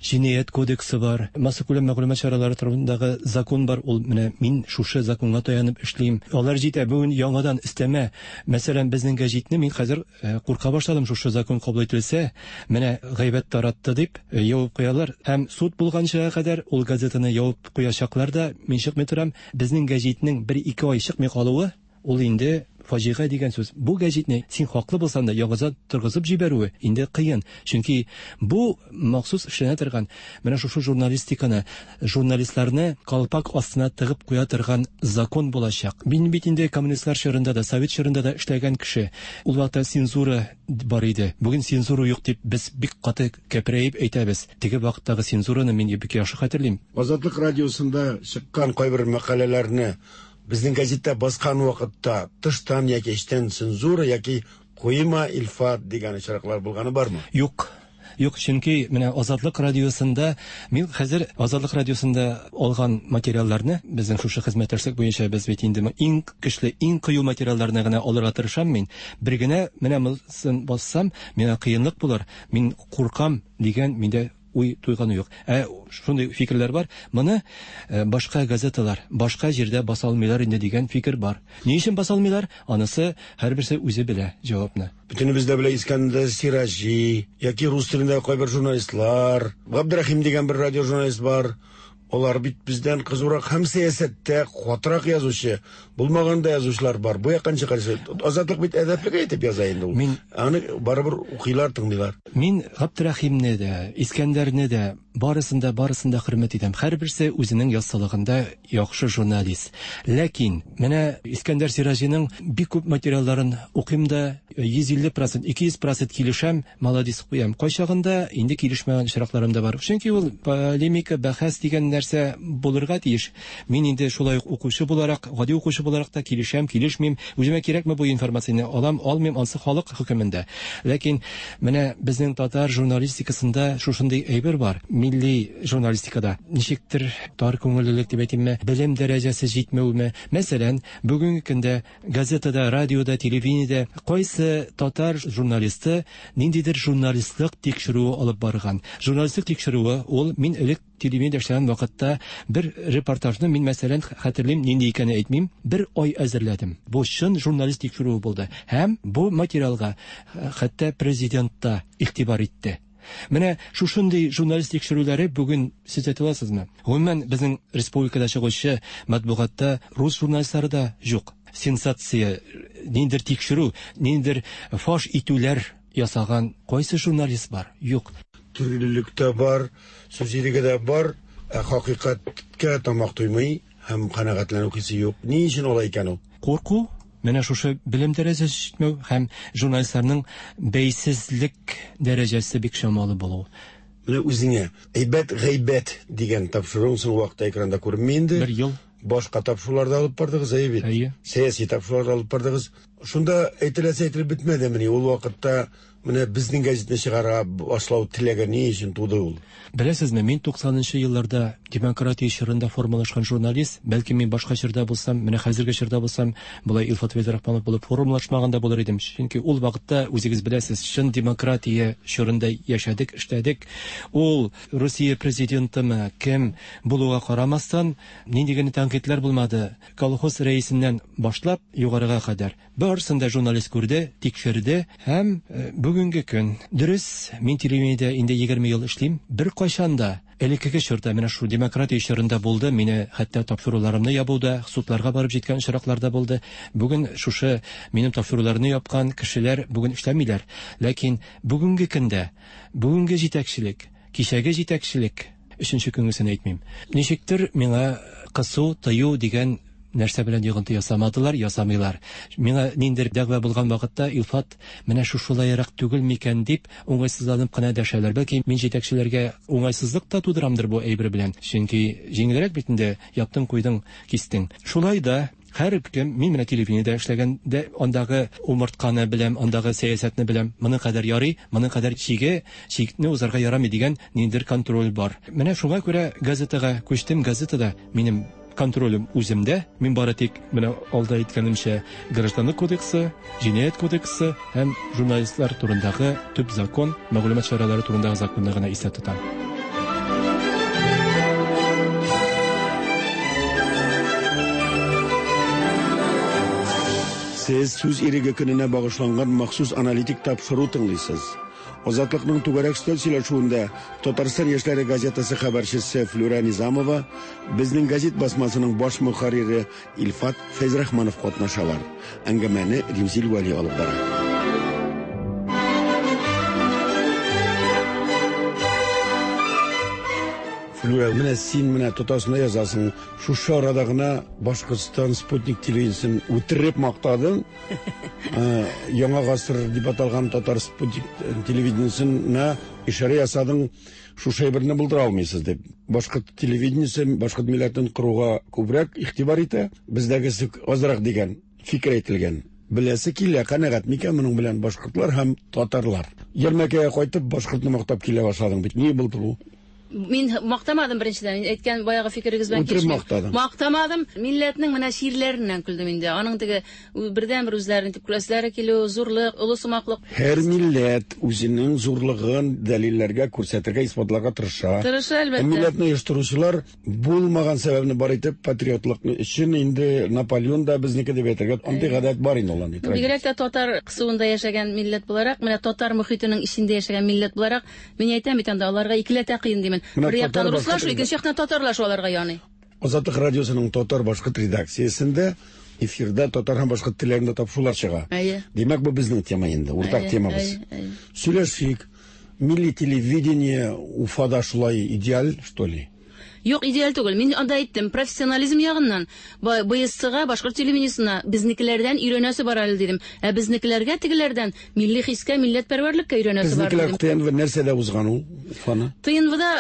җинаять кодексы бар, массакүләм мәгълүмат чаралары турындагы закон бар. Ул менә мин шушы законга таянып эшлим. Алар җитә. Бүген яңадан өстәмә, мәсәлән, безнең гәҗитне мин хәзер курка башладым, шушы закон кабул ителсә, менә гайбәт таратты дип ябып куялар һәм суд булганчыга кадәр ул газетаны ябып куячаклар да, мин чыкмый торам. Безнең гәҗитнең бер-ике ай чыкмый калуы ул инде фаҗига дигән сүз. Бу гәҗитне син хаклы булсаң да яңадан торгызып җибәрүе инде кыен. Чөнки бу махсус эшләнә торган менә шушы журналистиканы, журналистларны калпак астына тыгып куя торган закон булачак. Мин бит инде коммунистлар чорында да, совет чорында да эшләгән кеше. Ул вакытта цензура бар иде. Бүген цензура юк дип без бик каты кәпрәеп әйтәбез. Теге вакыттагы цензураны мин бик яхшы хәтерлим. Азатлык радиосында чыккан кайбер мәкаләләрне безнең газетта баскан вакытта тыштан яки эчтән цензура яки куйма Илфат дигән очраклар булганы бармы? Юк. Юк, чөнки менә Азатлык радиосында мин хәзер Азатлык радиосында алган материалларны безнең шушы хезмәттәшлек буенча без бит инде иң көчле, иң кыю материалларны гына алырга тырышам мин. Бер генә менә монысын бассам, миңа кыенлык булыр. Мин куркам дигән миндә уй туйганы юк. Ә шундый фикерләр бар. Моны башка газеталар, башка җирдә баса алмыйлар инде дигән фикер бар. Ни өчен баса алмыйлар? Анысы һәрберсе үзе белә җавапны. Бөтенебез дә белә Искәндәр Сираҗи, яки рус телендә кайбер журналистлар, Габдрахим дигән бер радио журналист бар. Алар бит бездән кызурак һәм сәясәттә катырак язучы, булмаганда язучылар бар. Бу якын чыгарсы. Азатлык бит әдәплегә әйтеп яза инде ул. Мин аны барыбер укыйлар, тыңлыйлар. Мин Габдрахимне дә, Искәндәрне дә барысын да, барысын да хөрмәт итәм. Һәрберсе үзенең яссылыгында яхшы журналист. Ләкин менә Искәндәр Сираҗиның бик күп материалларын укыйм да йөз илле процент, ике йөз процент килешәм, молодец куям. Кайчагында инде килешмәгән очракларым да бар. Чөнки ул полемика, бәхәс дигән нәрсә булырга тиеш. Мин инде шулай ук укучы буларак, гади укучы буларак та килешәм, килешмим. Үземә кирәкме бу информацияне алам, алмыйм, ансы халык хөкемендә. Ләкин менә безнең татар журналистикасында шушындый әйбер бар. Милли журналистикада ничектер тар күңеллелек дип әйтимме, белем дәрәҗәсе җитмәүме? Мәсәлән, бүгенге көндә газетада, радиода, телевидениедә кайсы татар журналисты ниндидер журналистлык тикшерүе алып барган. Журналистлык тикшерүе ул мин элек телевидениедә эшләгән вакытта бер репортажны мин мәсәлән хәтерлим, нинди икәнен әйтмим, бер ай әзерләдем. Бу чын журналист тикшерүе булды. Һәм бу материалга хәтта президент та игътибар итте. Менә шушындый журналист тикшерүләре бүген сез әйтә аласызмы? Гомумән, безнең республикада чыгучы матбугатта рус журналистлары да юк. Сенсация, ниндидер тикшерү, ниндидер фаш итүләр ясаган кайсы журналист бар? Юк. Төрлелек тә бар, сүз иреге дә бар, ә хакыйкатькә тамак туймый һәм канәгатьләнү хисе юк. Ни өчен алай икән ул? Курку, менә шушы белем дәрәҗәсе җитмәү һәм журналистларның бәйсезлек дәрәҗәсе бик чамалы булу. Менә үзеңә әйбәт гайбәт дигән тапшыруың соңгы вакытта экранда күренми инде. Бер ел. Башка тапшыруларда алып бардыгыз, әйе бит? Әйе. Сәяси тапшыруларда алып бардыгыз. Шунда әйтеләсе әйтелеп бетмәдемени? Ул вакытта менә безнең гәзитне чыгара башлау теләге ни өчен туды ул? Беләсезме, мин туксанынчы елларда демократия чорында формалашкан журналист, бәлки мин башка чорда булсам, менә хәзерге чорда булсам, болай Илфат Фәйзрахманов булып формалашмаган да булыр идем. Чөнки ул вакытта үзегез беләсез, чын демократия чорында яшәдек, эшләдек. Ул Русия президентымы, кем булуга карамастан, нинди генә тәнкыйтьләр булмады. Колхоз рәисеннән башлап югарыга кадәр. Барысын да журналист күрде, тикшерде һәм бүгенге көн. Дөрес, мин телевидениедә инде егерме ел эшлим. Бер кайчан да элеккеге чорда, менә шу демократия чорында булды, мине хәтта тапшыруларымны ябуда, судларга барып җиткән очракларда булды. Бүген шушы минем тапшыруларны япкан кешеләр бүген эшләмиләр. Ләкин бүгенге көндә, бүгенге җитәкчелек, кичәге җитәкчелек, өченче көнгесен әйтмим. Ничектер миңа кысу, тыю дигән нәрсә белән йогынты ясамадылар, ясамыйлар. Миңа ниндидер дәгъва булган вакытта Илфат менә шушылайрак түгел микән дип уңайсызланып кына дәшәләр. Бәлки мин җитәкчеләргә уңайсызлык та тудырамдыр бу әйбер белән. Чөнки җиңелрәк бит инде, яптың, куйдың, кистең. Шулай да һәр кем, мин менә телевидениедә эшләгәндә андагы умыртканы беләм, андагы сәясәтне беләм. Моның кадәр ярый, моның кадәр чиге, чикне узарга ярамый дигән ниндидер контроль бар. Менә шуңа күрә газетага күчтем. Газетада минем контролем үземдә. Мин бары тик менә алда әйткәнемчә гражданлык кодексы, җинаять кодексы һәм журналистлар турындагы төп закон, мәгълүмат чаралары турындагы законны гына истә тотам. Сез сүз иреге көненә багышланган махсус аналитик тапшыру тыңлыйсыз. Азатлыкның түгәрәк өстәл сөйләшүендә Татарстан яшьләре газетасы хәбәрчесе Флюра Низамова, безнең газет басмасының баш мөхәррире Илфат Фәйзрахманов катнашалар. Әңгәмәне Римзил Вәли алып бара. Флюра, менә син менә Татарстанда язасың. Шушы арада гына Башкортстан спутник телевидениесен үтереп мактадың. Яңа гасыр дип аталган татар спутник телевидениесенә ишарә ясадың. Шушы әйберне булдыра алмыйсыз дип. Башкорт телевидениесе башкорт милләтен коруга күбрәк игътибар итә, бездәгесе азрак дигән фикер әйтелгән. Беләсе килә, канәгать микән моның белән башкортлар һәм татарлар? Ярмәкәгә кайтып башкортны мактап килә башладың бит. Ни булды бу? Мин мактамадым беренчедән. Әйткән баягы фикерегез белән килешмим. Мактамадым. Милләтнең менә чирләреннән көлдем инде. Аның теге бердән бер үзләрен дип күрәселәре килү, зурлык, олы сумаклык. Һәр милләт үзенең зурлыгын дәлилләргә, күрсәтергә, исбатларга тырыша. Тырыша, әлбәттә. Милләтне оештыручылар булмаган сәбәпне бар итеп патриотлыкны өчен инде Наполеон да безнеке дип әйтергә андый гадәт бар инде аларның. Бигрәк тә татар кысуында яшәгән милләт буларак, менә татар мөхитенең эчендә яшәгән милләт буларак, мин әйтәм бит анда аларга икеләтә кыен димен. Бер яктан руслашу, икенче яктан татарлашу аларга яный. Азатлык радиосының татар башкорт редакциясендә эфирда татар һәм башкорт телләрендә тапшырулар чыга. Димәк, бу безнең тема инде, уртак темабыз. Сөйләшик. Милли телевидение Уфада шулай идеаль, что ли? Юк, идеаль түгел. Мин анда әйттем, профессионализм ягыннан БСЦга, башкорт телевидениесына безнекеләрдән өйрәнәсе бар әле дидем. Ә безнекеләргә тегеләрдән милли хискә, милләтпәрвәрлеккә өйрәнәсе бар дидем. Безнекеләр ТНВ нәрсәдә узган ул Уфаны? ТНВда,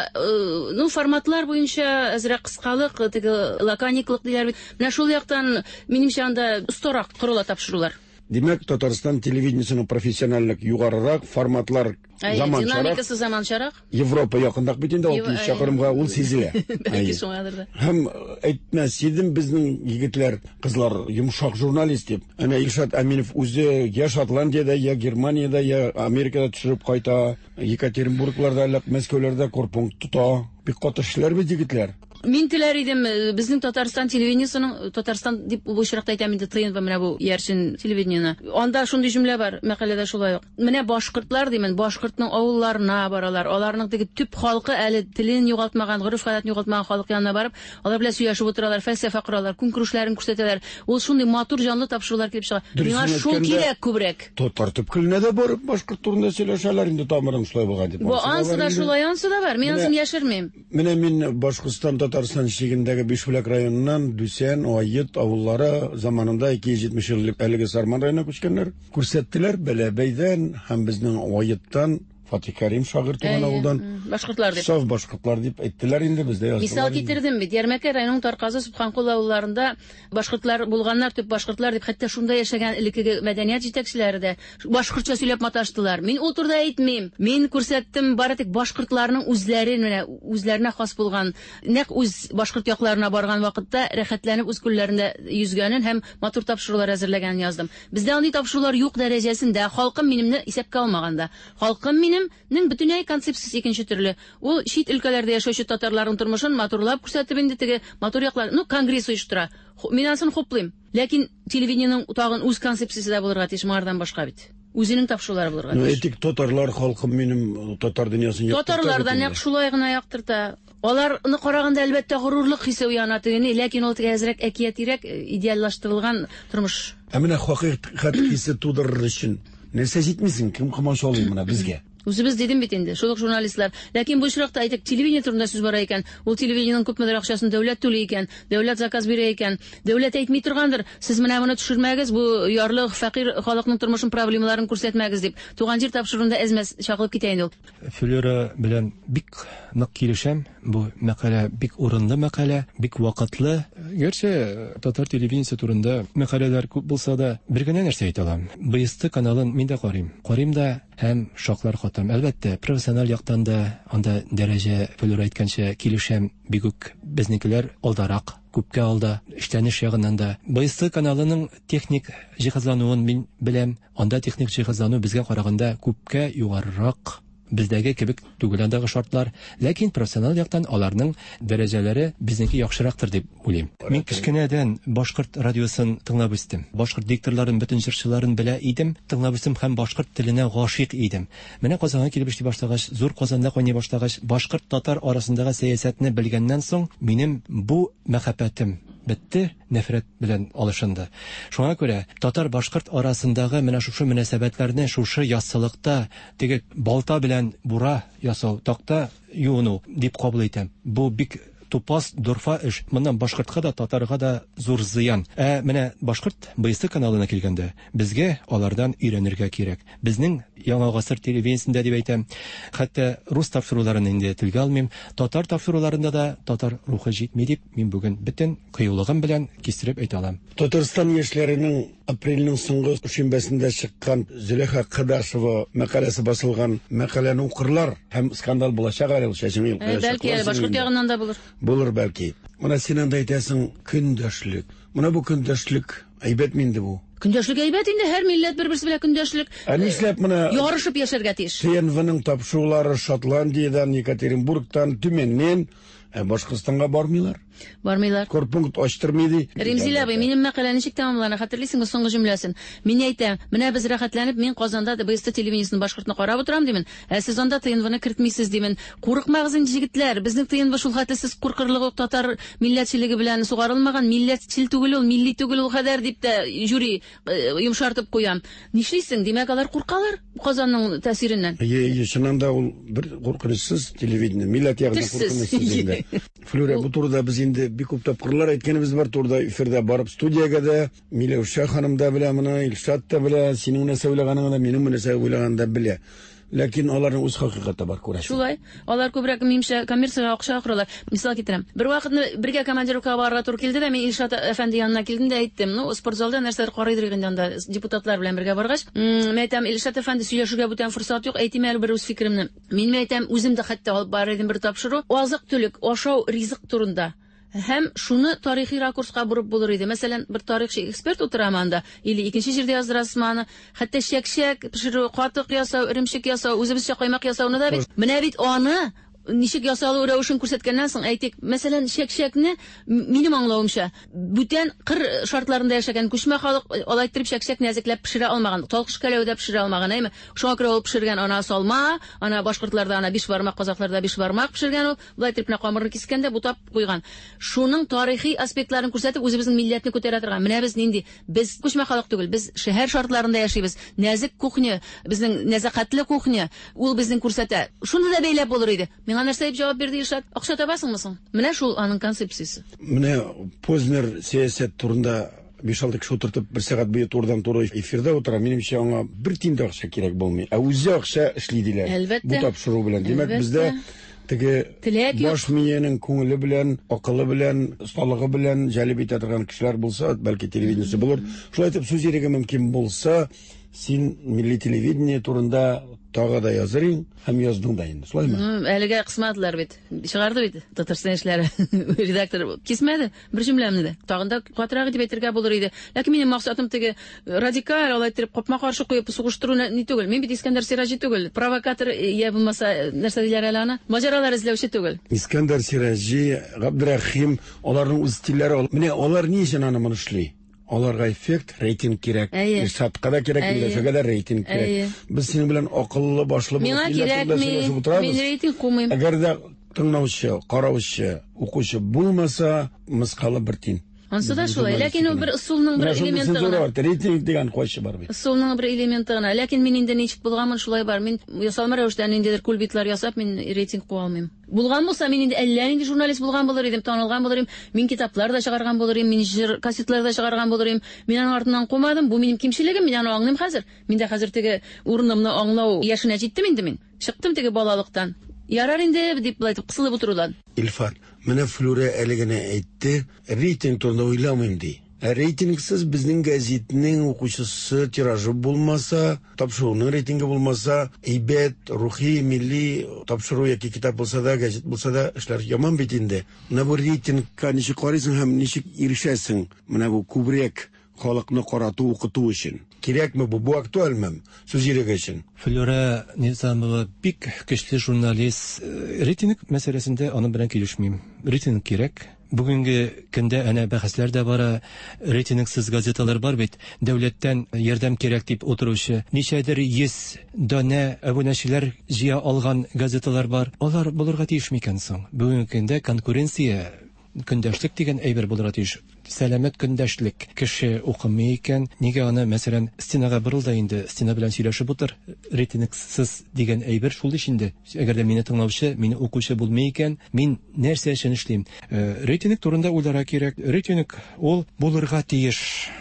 ну, форматлар буенча әзрәк кыскалык, теге лакониклык диләр бит. Менә шул яктан минемчә анда остарак корыла тапшырулар. Димәк, Татарстан телевидениесының профессиональлек югарырак, форматлар заманчарак. Динамикасы заманчарак. Европа якындак бит инде алты йөз чакрымга ул сизелә. Бәлки шуңадыр да. Һәм әйтмәс идем, безнең егетләр, кызлар йомшак журналист дип. Әнә Илшат Әминов үзе я Шотландиядә, я Германиядә, я Америкада төшереп кайта, Екатеринбургларда, Мәскәүләрдә корпункт тота. Бик каты эшләр бит егетләр. Мин теләр идем, безнең Татарстан телевидениесының, Татарстан дип бу очракта әйтәм инде, ТНВ менә бу иярчен телевидениене. Анда шундый җөмлә бар, мәкаләдә шулай ук. Менә башкортлар димен, башкортның авылларына баралар. Аларның теге төп халкы әле телен югалтмаган, гореф-гадәтен югалтмаган халык янына барып, алар белән сөйләшеп утыралар, фәлсәфә коралар, көнкүрешләрен күрсәтәләр. Ул шундый матур җанлы тапшырулар килеп чыга. Миңа шул кирәк күбрәк. Татар төпкеленә дә барып башкорт турында сөйләшәләр инде, тамырың шулай булган дип. Бу ансы да шулай, ансы да бар. Мин ансын яшермим. Менә мин Башкортстан Татарстан чигендәге Бишбүләк районыннан Дүсән, Айыт авыллары заманында ике йөз җитмеш ел элек әлеге Сарман районына күчкәннәр. Күрсәттеләр Бәләбәйдән һәм безнең Айыттан Фатих Кәрим шагыйрь туган авылдан башкортлар дип. Саф башкортлар дип әйттеләр инде, бездә яздылар. Мисал китердем бит. Ярмәкәй районының Тарказы, Субханкул авылларында башкортлар булганнар, төп башкортлар дип, хәтта шунда яшәгән элеккеге мәдәният җитәкчеләре дә башкортча сөйләп маташтылар. Мин ул турыда әйтмим. Мин күрсәттем бары тик башкортларның үзләре менә үзләренә хас булган, нәкъ үз башкорт якларына барган вакытта рәхәтләнеп үз күлләрендә йөзгәнен һәм матур тапшырулар әзерләгәнен яздым. Бездә андый тапшырулар юк дәрәҗәсендә, халкым минемне исәпкә алмаганда. Халкым минем ның бөтенләй концепциясе икенче төрле. Ул чит өлкәләрдә яшәүче татарларның тормышын матурлап күрсәтеп инде теге матур яклар, ну, конгресс оештыра. Мин анысын хуплыйм. Ләкин телевидениенең тагын үз концепциясе дә булырга тиеш, моңардан башка бит. Үзенең тапшырулары булырга тиеш. Ну, әйтик, татарлар халкым минем татар дөньясын яктырта. Татарлар да нәкъ шулай гына яктырта. Аларны караганда әлбәттә горурлык хисе уяна тегене, ләкин ул теге әзрәк әкиятирәк идеаллаштырылган тормыш. Ә менә хакыйкать хисе тудырыр өчен нәрсә җитмисең? Кем комачаулый менә безгә? Үзебез дидем бит инде, шул ук журналистлар. Ләкин бу очракта әйтик, телевидение турында сүз бара икән, ул телевидениенең күпмедер акчасын дәүләт түли икән, дәүләт заказ бирә икән, дәүләт әйтми торгандыр, сез менә моны төшермәгез, бу ярлы, фәкыйрь халыкның тормышын, проблемаларын күрсәтмәгез дип. Туган җир тапшыруында әзмәс чагылып китә инде ул. Флюра белән бик нык килешәм. Бу мәкалә бик урынлы мәкалә, бик вакытлы. Гәрчә татар телевидениесе турында мәкаләләр күп булса да, бер генә нәрсә әйтә алам. Бэ эс тэ каналын мин дә карыйм. Карыйм да һәм шаклар катам. Әлбәттә, профессиональ яктан да анда дәрәҗә, Флюра әйткәнчә, килешәм, бик үк безнекеләр алдарак, күпкә алда, эшләнеш ягыннан да. Бэ эс тэ каналының техник җиһазлануын мин беләм. Анда техник җиһазлану безгә караганда күпкә югарырак, бездәге кебек түгел андагы шартлар, ләкин профессиональ яктан аларның дәрәҗәләре безнеке яхшырактыр дип уйлыйм. Мин кечкенәдән башкорт радиосын тыңлап үстем. Башкорт дикторларын, бөтен җырчыларын белә идем, тыңлап үстем һәм башкорт теленә гашыйк идем. Менә Казанга килеп эшли башлагач, зур Казанда кайный башлагач, башкорт татар арасындагы сәясәтне белгәннән соң, минем бу мәхәббәтем бетте, нәфрәт белән алышынды. Шуңа күрә татар-башкорт арасындагы менә шушы мөнәсәбәтләрне шушы яссылыкта теге балта белән бура ясау, такта юыну дип кабул итәм. Бу бик тупас, дорфа эш. Моннан башкортка да, татарга да зур зыян. Ә менә башкорт Бэ Эс Тэ каналына килгәндә, безгә алардан өйрәнергә кирәк. Безнең Яңа гасыр телевидениесендә дип әйтәм, хәтта рус тапшыруларын инде телгә алмыйм, татар тапшыруларында да татар рухы җитми дип мин бүген бөтен кыюлыгым белән кистереп әйтә алам. Татарстан яшьләренең апрельнең соңгы шимбәсендә чыккан Зөләйха Кадашева мәкаләсе басылган мәкаләне укырлар һәм скандал булачак әле ул, чәчеңне Ә, бәлки әле башкорт ягыннан да булыр. Булыр бәлки. Менә син анда әйтәсең көндәшлек. Менә бу көндәшлек әйбәтме инде бу? Көндәшлек әйбәт инде, һәр милләт бер-берсе белән көндәшлек. Ә нишләп менә ярышып яшәргә тиеш? Тэ Эн Вның тапшырулары Шотландиядән, Екатеринбургтан, Төмәннән, ә Башкортстанга бармыйлар? Бармыйлар. Корпункт ачтырмый ди. Ремзил абый, минем мәкалә ничек тәмамлана, хәтерлисеңме соңгы җөмләсен? Мин әйтәм, менә без рәхәтләнеп, мин Казанда Бэ Эс Тэ телевидениесен башкортны карап утырам димен. Ә сез анда Тэ Эн Вны кертмисез димен. Курыкмагыз инде, егетләр, безнең Тэ Эн Вэ шул хәтле сез куркырлык ук татар милләтчелеге белән сугарылмаган, милләтчел түгел ул, милли түгел ул кадәр дип тә жюри э, йомшартып куям. Нишлисең? Димәк, алар куркалар Казанның тәэсиреннән. Әйе, әйе, чыннан да ул бер куркынычсыз телевидение, милләт ягыннан Тешсез. куркынычсыз инде. Флюра, бу турыда без инде бик күп тапкырлар әйткәнебез бар, турыда эфирда барып студиягә дә, Миләүшә ханым да белә моны, Илшат та белә, синең нәрсә уйлаганыңны да, минем нәрсә уйлаганымны да белә. Ләкин аларның үз хакыйкате бар, күрәсең. Шулай. Алар күбрәк минемчә коммерциягә акча акыралар. Мисал китерәм. Бер вакытны бергә командировкага барырга туры килде дә, мин Илшат әфәнде янына килдем дә әйттем. Ну, спортзалда нәрсәләр карыйдыр инде анда депутатлар белән бергә баргач. М, Мин әйтәм, Илшат әфәнде, сөйләшергә бүтән форсат юк, әйтим әле бер үз фикеремне. Мин әйтәм, үзем дә хәтта алып барыр идем бер тапшыру. Азык-төлек, ашау, ризык турында. Һәм шуны тарихи ракурска борып булыр иде. Мәсәлән, бер тарихчы эксперт утырамы анда, или икенче җирдә яздырасызмы аны? Хәтта чәкчәк пешерү, катык ясау, эремчек ясау, үзебезчә каймак ясауны да бит. Менә бит аны ничек ясалу рәвешен күрсәткәннән соң, әйтик, мәсәлән, чәкчәкне, минем аңлавымча, бүтән кыр шартларында яшәгән күчмә халык алай иттереп чәкчәк нәзекләп пешерә алмаган, талкыш кәләүдә пешерә алмаган, әйме? Шуңа күрә ул пешергән ана салма, ана башкортларда ана биш бармак, казахларда биш бармак пешергән ул, болай иттереп менә камырны кискән дә бутап куйган. Шуның тарихи аспектларын күрсәтеп, үзебезнең милләтне күтәрә торган. Менә без нинди? Без күчмә халык түгел, без шәһәр шартларында яшибез. Нәзек кухня, безнең нәзакәтле кухня, ул безнең күрсәтә. Шуны да бәйләп булыр иде. Миңа нәрсә дип җавап бирде Илшат? Акча табасыңмы соң? Менә шул аның концепциясе. Менә Познер сәясәт турында биш-алты кеше утыртып, бер сәгать буе турыдан-туры эфирда утыра. Минемчә, аңа бер тиен дә акча кирәк булмый. Ә үзе акча эшли диләр. Әлбәттә. Бу тапшыру белән. Димәк, Әлбәттә. бездә теге Теләк юк. баш миенең күңеле белән, акылы белән, осталыгы белән җәлеп итә торган кешеләр булса, бәлки телевидениесе булыр. Шулай итеп сүз иреге мөмкин булса, син милли телевидение турында тагы да языр идең һәм яздың да инде. Шулаймы? Ну, әлегә кысмадылар бит. Чыгарды бит Татарстан эшләре. Редактор кисмәде бер җөмләмне дә. Тагын да катырак итеп әйтергә булыр иде. Ләкин минем максатым теге радикаль алай иттереп капма-каршы куеп сугыштыру ни түгел. Мин бит Искәндәр Сираҗи түгел, провокатор я булмаса нәрсә диләр әле аны? Маҗаралар эзләүче түгел. Искәндәр Сираҗи, Габдрахим, аларның үз стильләре. Менә алар ни өчен аны моны эшли? Аларга эффект, рейтинг кирәк. Әйе. Илшатка да кирәк, Әйе. Миләүшәгә дә рейтинг кирәк. Әйе. Без синең белән акыллы, башлы булып Миңа милләт турында кирәкми. сөйләшеп утырабыз. Мин рейтинг кумыйм. Әгәр дә тыңлаучы, караучы, укучы булмаса, мыскалы бер тин. Ансы да шулай, ләкин ул бер ысулның бер элементы гына. Рейтинг дигән кайчы бар бит. Ысулның бер элементы гына. Ләкин мин инде ничек булганмын, шулай бар. Мин ясалма рәвештә ниндидер кульбитлар ясап, мин рейтинг куа алмыйм. Булган булса, мин инде әллә нинди журналист булган булыр идем, танылган булыр идем, мин китаплар да чыгарган булыр идем, мин җыр кассетлар да чыгарган булыр идем. Мин аның артыннан кумадым. Бу минем кимчелегем, мин аны аңлыйм хәзер. Мин дә хәзер теге урынымны аңлау яшенә җиттем инде мин. Чыктым теге балалыктан. Ярар инде дип былай итеп кысылып утырудан. Илфат, менә Флюра әле генә әйтте, рейтинг турында уйламыйм ди. Ә рейтингсыз безнең гәзитнең укучысы тиражы булмаса, тапшыруның рейтингы булмаса, әйбәт, рухи, милли тапшыру яки китап булса да, гәзит булса да, эшләр яман бит инде. Менә бу рейтингка ничек карыйсың һәм ничек ирешәсең? Менә бу күбрәк халыкны карату, укыту өчен. Кирәкме бу? Бу актуальме? Сүз иреге өчен. Флюра Низамова бик көчле журналист. Рейтинг мәсьәләсендә аның белән килешмим. Рейтинг кирәк. Бүгенге көндә әнә бәхәсләр дә бара. Рейтингсыз газеталар бар бит. Дәүләттән ярдәм кирәк дип утыручы. Ничәдер йөз данә абунәчеләр җыя алган газеталар бар. Алар булырга тиеш микән соң? Бүгенге көндә конкуренция, көндәшлек дигән әйбер булырга тиеш. Сәламәт көндәшлек. Кеше укымый икән, нигә аны, мәсәлән, стенага борыл да инде, стена белән сөйләшеп утыр. Рейтингсыз дигән әйбер шул ич инде. Әгәр дә мине тыңлаучы, мине укучы булмый икән, мин нәрсә өчен эшлим? Рейтинг турында уйларга кирәк. Рейтинг ул булырга тиеш.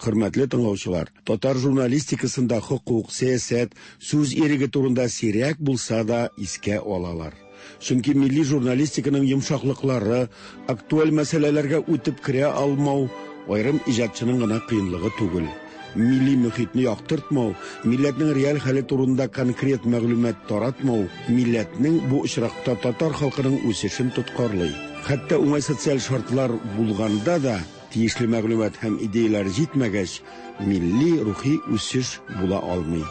Хөрмәтле тыңлаучылар, татар журналистикасында хокук, сәясәт, сүз иреге турында сирәк булса да искә алалар. Чөнки милли журналистиканың йомшаклыклары, актуаль мәсьәләләргә үтеп керә алмау аерым иҗатчының гына кыенлыгы түгел. Милли мөхитне яктыртмау, милләтнең реаль хәле турында конкрет мәгълүмат таратмау, милләтнең бу очракта татар халкының үсешен тоткарлый. Хәтта уңай социаль шартлар булганда да тиешле мәгълүмат һәм идеялар җитмәгәч, милли рухи үсеш була алмый.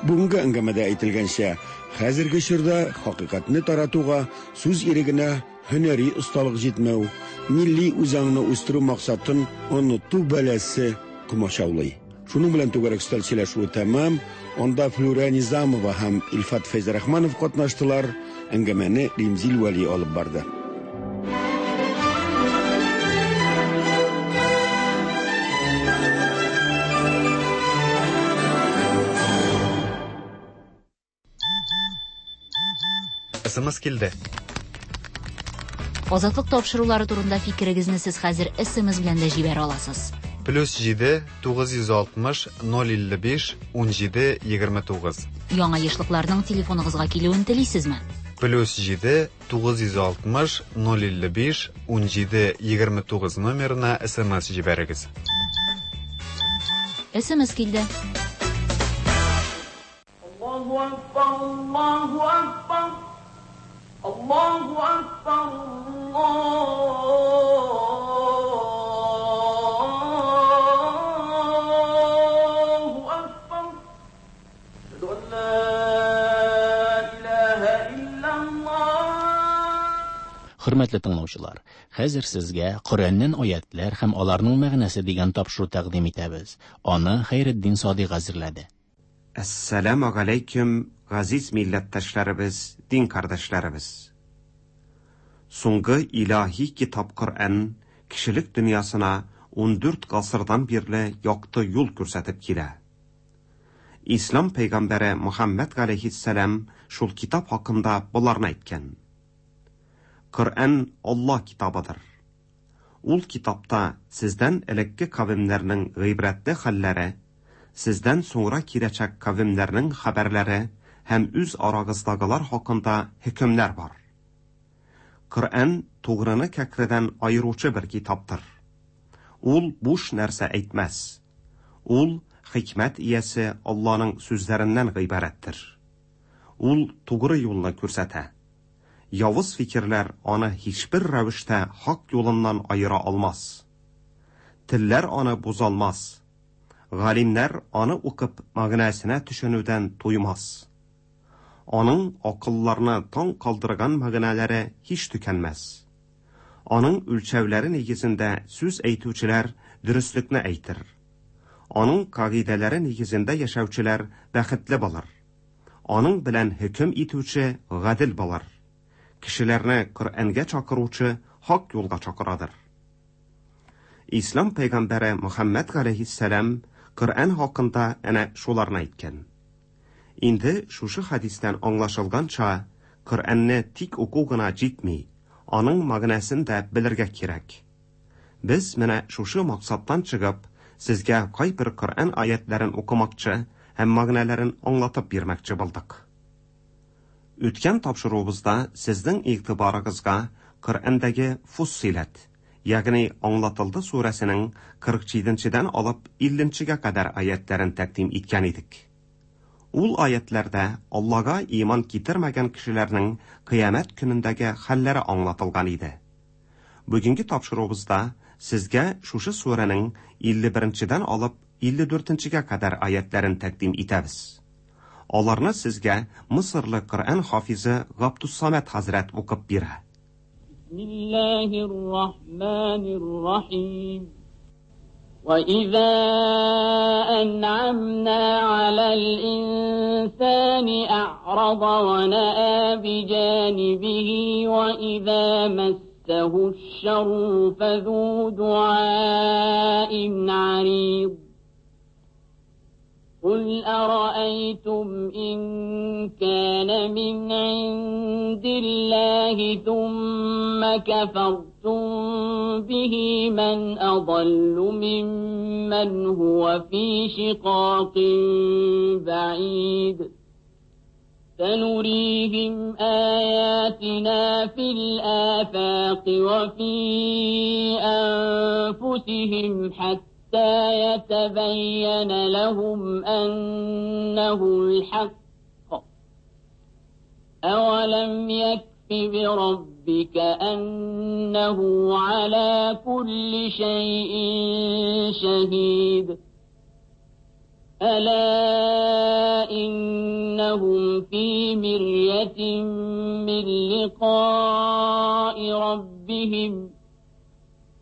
Бүгенге әңгәмәдә әйтелгәнчә, хәзерге чорда хакыйкатьне таратуга, сүз ирегенә һөнәри осталык җитмәү, милли үзаңны үстерү максатын оныту бәласе комачаулый. Шуның белән түгәрәк өстәл сөйләшүе тәмам. Анда Флюра Низамова һәм Илфат Фәйзрахманов катнаштылар. Әңгәмәне Римзил Вәли алып барды. СМС килде. Азатлык тапшырулары турында фикерегезне сез хәзер СМС белән дә җибәрә аласыз. Плюс җиде тугыз йөз алтмыш ноль илле биш ун җиде егерме тугыз. Яңа ешлыкларның телефоныгызга килүен телисезме? Плюс җиде тугыз йөз алтмыш ноль илле биш ун җиде егерме тугыз номерына СМС җибәрегез. СМС килде. Аллаһу акбар, Аллаһу акбар. Аллаһу акбар, Аллаһу акбар. Әшһәду ан ла илаһа иллаллаһ. Хөрмәтле тыңлаучылар, хәзер сезгә Коръәннән аятлар һәм аларның мәгънәсе дигән тапшыру тәкъдим итәбез. Аны Хәйретдин Садыйк әзерләде. Әссәламу алейкум, газиз милләттәшләребез, дин кардәшләребез. Соңгы илаһи китап Коръән кешелек дөньясына ун дүрт гасырдан бирле якты юл күрсәтеп килә. Ислам пәйгамбәре Мухаммад галәйһиссәлам шул китап хакында боларны әйткән. Коръән Аллаһ китабыдыр. Ул китапта сездән элекке кавемнәрнең гыйбрәтле хәлләре, сездән соңра киләчәк кавемнәрнең хәбәрләре һәм үз арагыздагылар хакында хөкемнәр бар. Коръән тугрыны кәкредән аеручы бер китаптыр. Ул буш нәрсә әйтмәс. Ул хикмәт иясе Алланың сүзләреннән гыйбарәттер. Ул тугры юлны күрсәтә. Явыз фикерләр аны һичбер рәвештә хак юлыннан аера алмас. Телләр аны бузалмас. Галимнәр аны укып мәгънәсенә төшенүдән туймас. Аның акылларны таң калдырган мәгънәләре һич төкәнмәс. Аның үлчәүләре нигезендә сүз әйтүчеләр дөреслекне әйтер. Аның кагыйдәләре нигезендә яшәүчеләр бәхетле булыр. Аның белән хөкем итүче гадел булыр. Кешеләрне Коръәнгә чакыручы хак юлга чакырадыр. Ислам пәйгамбәре Мөхәммәд галәйһиссәлам Коръән хакында әнә шуларны әйткән. Инде шушы хәдистән аңлашылганча, Коръәнне тик уку гына җитми, аның мәгънәсен дә белергә кирәк. Без менә шушы максаттан чыгып, сезгә кайбер Коръән аятларын укымакчы һәм мәгънәләрен аңлатып бирмәкче булдык. Үткән тапшыруыбызда сезнең игътибарыгызга Коръәндәге Фуссиләт, ягъни Аңлатылды сүрәсенең кырык җиденчедән алып илленчегә кадәр аятларын тәкъдим иткән идек. Ул аятларда Аллага иман китермәгән кешеләрнең кыямәт көнендәге хәлләре аңлатылган иде. Бүгенге тапшыруыбызда сезгә шушы сүрәнең илле беренчедән алып илле дүртенчегә кадәр аятларын тәкъдим итәбез. Аларны сезгә Мысырлы Коръән хафизы Габдусамат хәзрәт укып бирә. Бисмиллаһир Рахманир Рахим. وإذا أنعمنا على الإنسان أعرض ونأى بجانبه وإذا مسه الشر فذو دعاء عريض. قل أرأيتم إن كان من عند الله ثم كفرتم به من أضل ممن هو في شقاق بعيد. سنريهم آياتنا في الآفاق وفي أنفسهم حتى يتبين لهم أنه الحق. أولم يكف بربك أنه على كل شيء شهيد. ألا إنهم في مرية من لقاء ربهم.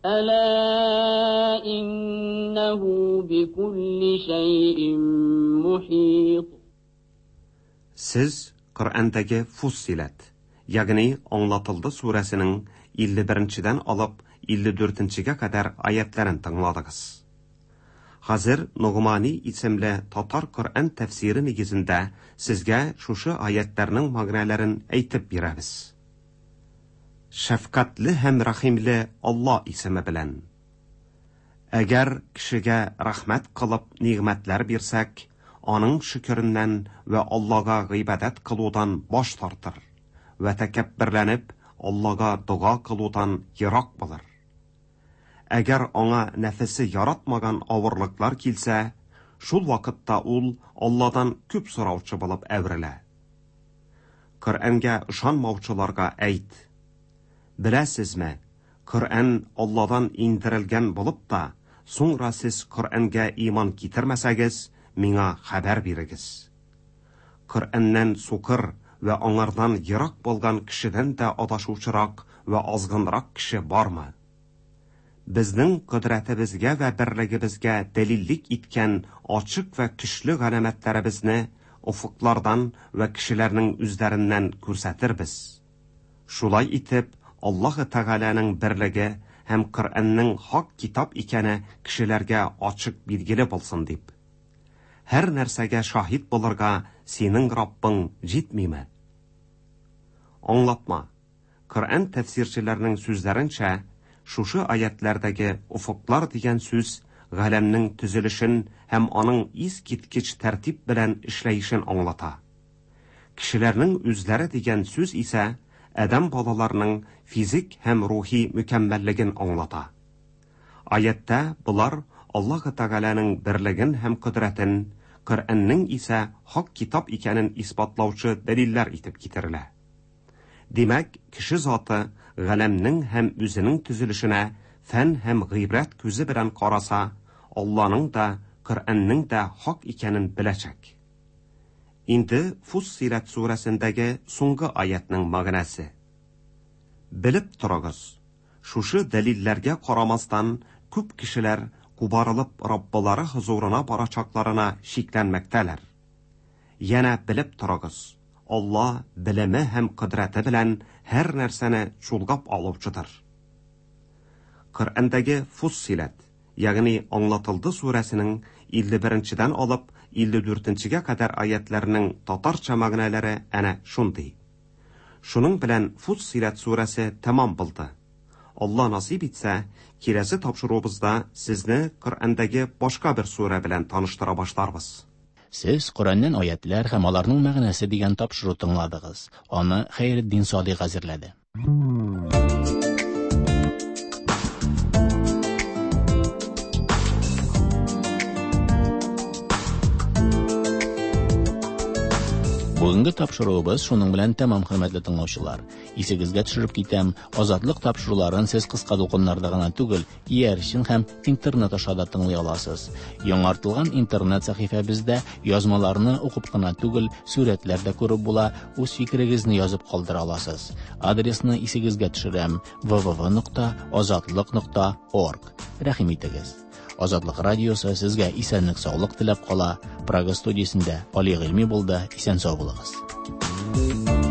ألا إنه بكل شيء محيط. Сез Коръәндәге Фуссиләт, ягъни Аңлатылды сүрәсенең илле беренчедән алып илле дүртенчегә кадәр аятларын тыңладыгыз. Хәзер Ногмани исемле татар Коръән тәфсире нигезендә сезгә шушы аятларның мәгънәләрен әйтеп бирәбез. Шәфкатьле һәм рәхимле Алла исеме белән. Әгәр кешегә рәхмәт кылып нигъмәтләр бирсәк, аның шөкереннән вә Аллага гыйбадәт кылудан баш тартыр вә тәкәбберләнеп Аллага дога кылудан ерак булыр. Әгәр аңа нәфесе яратмаган авырлыклар килсә, шул вакытта ул Алладан күп сораучы булып әверелә. Коръәнгә ышанмаучыларга әйт: Беләсезме, Коръән Алладан индерелгән булып та, соңра сез Коръәнгә иман китермәсәгез, миңа хәбәр бирегез. Коръәннән сукыр вә аңардан ерак булган кешедән дә адашучырак вә азгынрак кеше бармы? Безнең кодрәтебезгә вә берлегебезгә дәлиллек иткән ачык вә көчле галәмәтләребезне офыклардан вә кешеләрнең үзләреннән күрсәтербез. Шулай итеп, Аллаһы Тәгаләнең берлеге һәм Коръәннең хак китап икәне кешеләргә ачык билгеле булсын дип. Һәр нәрсәгә шаһит булырга синең Раббың җитмиме? Аңлатма. Коръән тәфсирчеләренең сүзләренчә, шушы аятлардагы офыклар дигән сүз галәмнең төзелешен һәм аның искиткеч тәртип белән эшләешен аңлата. Кешеләрнең үзләре дигән сүз исә адәм балаларының физик һәм рухи мөкәммәллеген аңлата. Аятта булар Аллаһ Тәгаләнең берлеген һәм кодрәтен, Коръәннең исә хак китап икәнен исбатлаучы дәлилләр итеп китерелә. Димәк, кеше заты галәмнең һәм үзенең төзелешенә фән һәм гыйбрәт күзе белән караса, Алланың да, Коръәннең дә хак икәнен беләчәк. Инде Фуссиләт сүрәсендәге соңгы аятның мәгънәсе. Белеп торыгыз, шушы дәлилләргә карамастан күп кешеләр кубарылып Раббылары хозурына барачакларына шикләнмәктәләр. Янә белеп торыгыз, Алла белеме һәм кодрәте белән һәр нәрсәне чулгап алучыдыр. Коръәндәге Фуссиләт, ягъни Аңлатылды сүрәсенең илле беренчедән алып илле дүртенчегә кадәр аятларының татарча мәгънәләре әнә шундый. Шуның белән Фуссиләт сүрәсе тәмам булды. Алла насыйп итсә, киләсе тапшыруыбызда сезне Коръәндәге башка бер сүрә белән таныштыра башларбыз. Сез Коръәннән аятлар һәм аларның мәгънәсе дигән тапшыру тыңладыгыз. Аны Хәйретдин Садыйк әзерләде. Бүгенге тапшыруыбыз шуның белән тәмам, хөрмәтле тыңлаучылар. Исегезгә төшереп китәм, Азатлык тапшыруларын сез кыска дулкыннарда гына түгел, иярчен һәм интернет аша да тыңлый аласыз. Яңартылган интернет сәхифәбездә язмаларны укып кына түгел, сурәтләр дә күреп була, үз фикерегезне язып калдыра аласыз. Адресны исегезгә төшерәм: вэ вэ вэ нокта азатлык нокта орг. Рәхим итегез. Азатлык радиосы сезгә исәнлек, саулык теләп кала. Прага студиясендә Али Гыйльми булды. Исән сау булыгыз.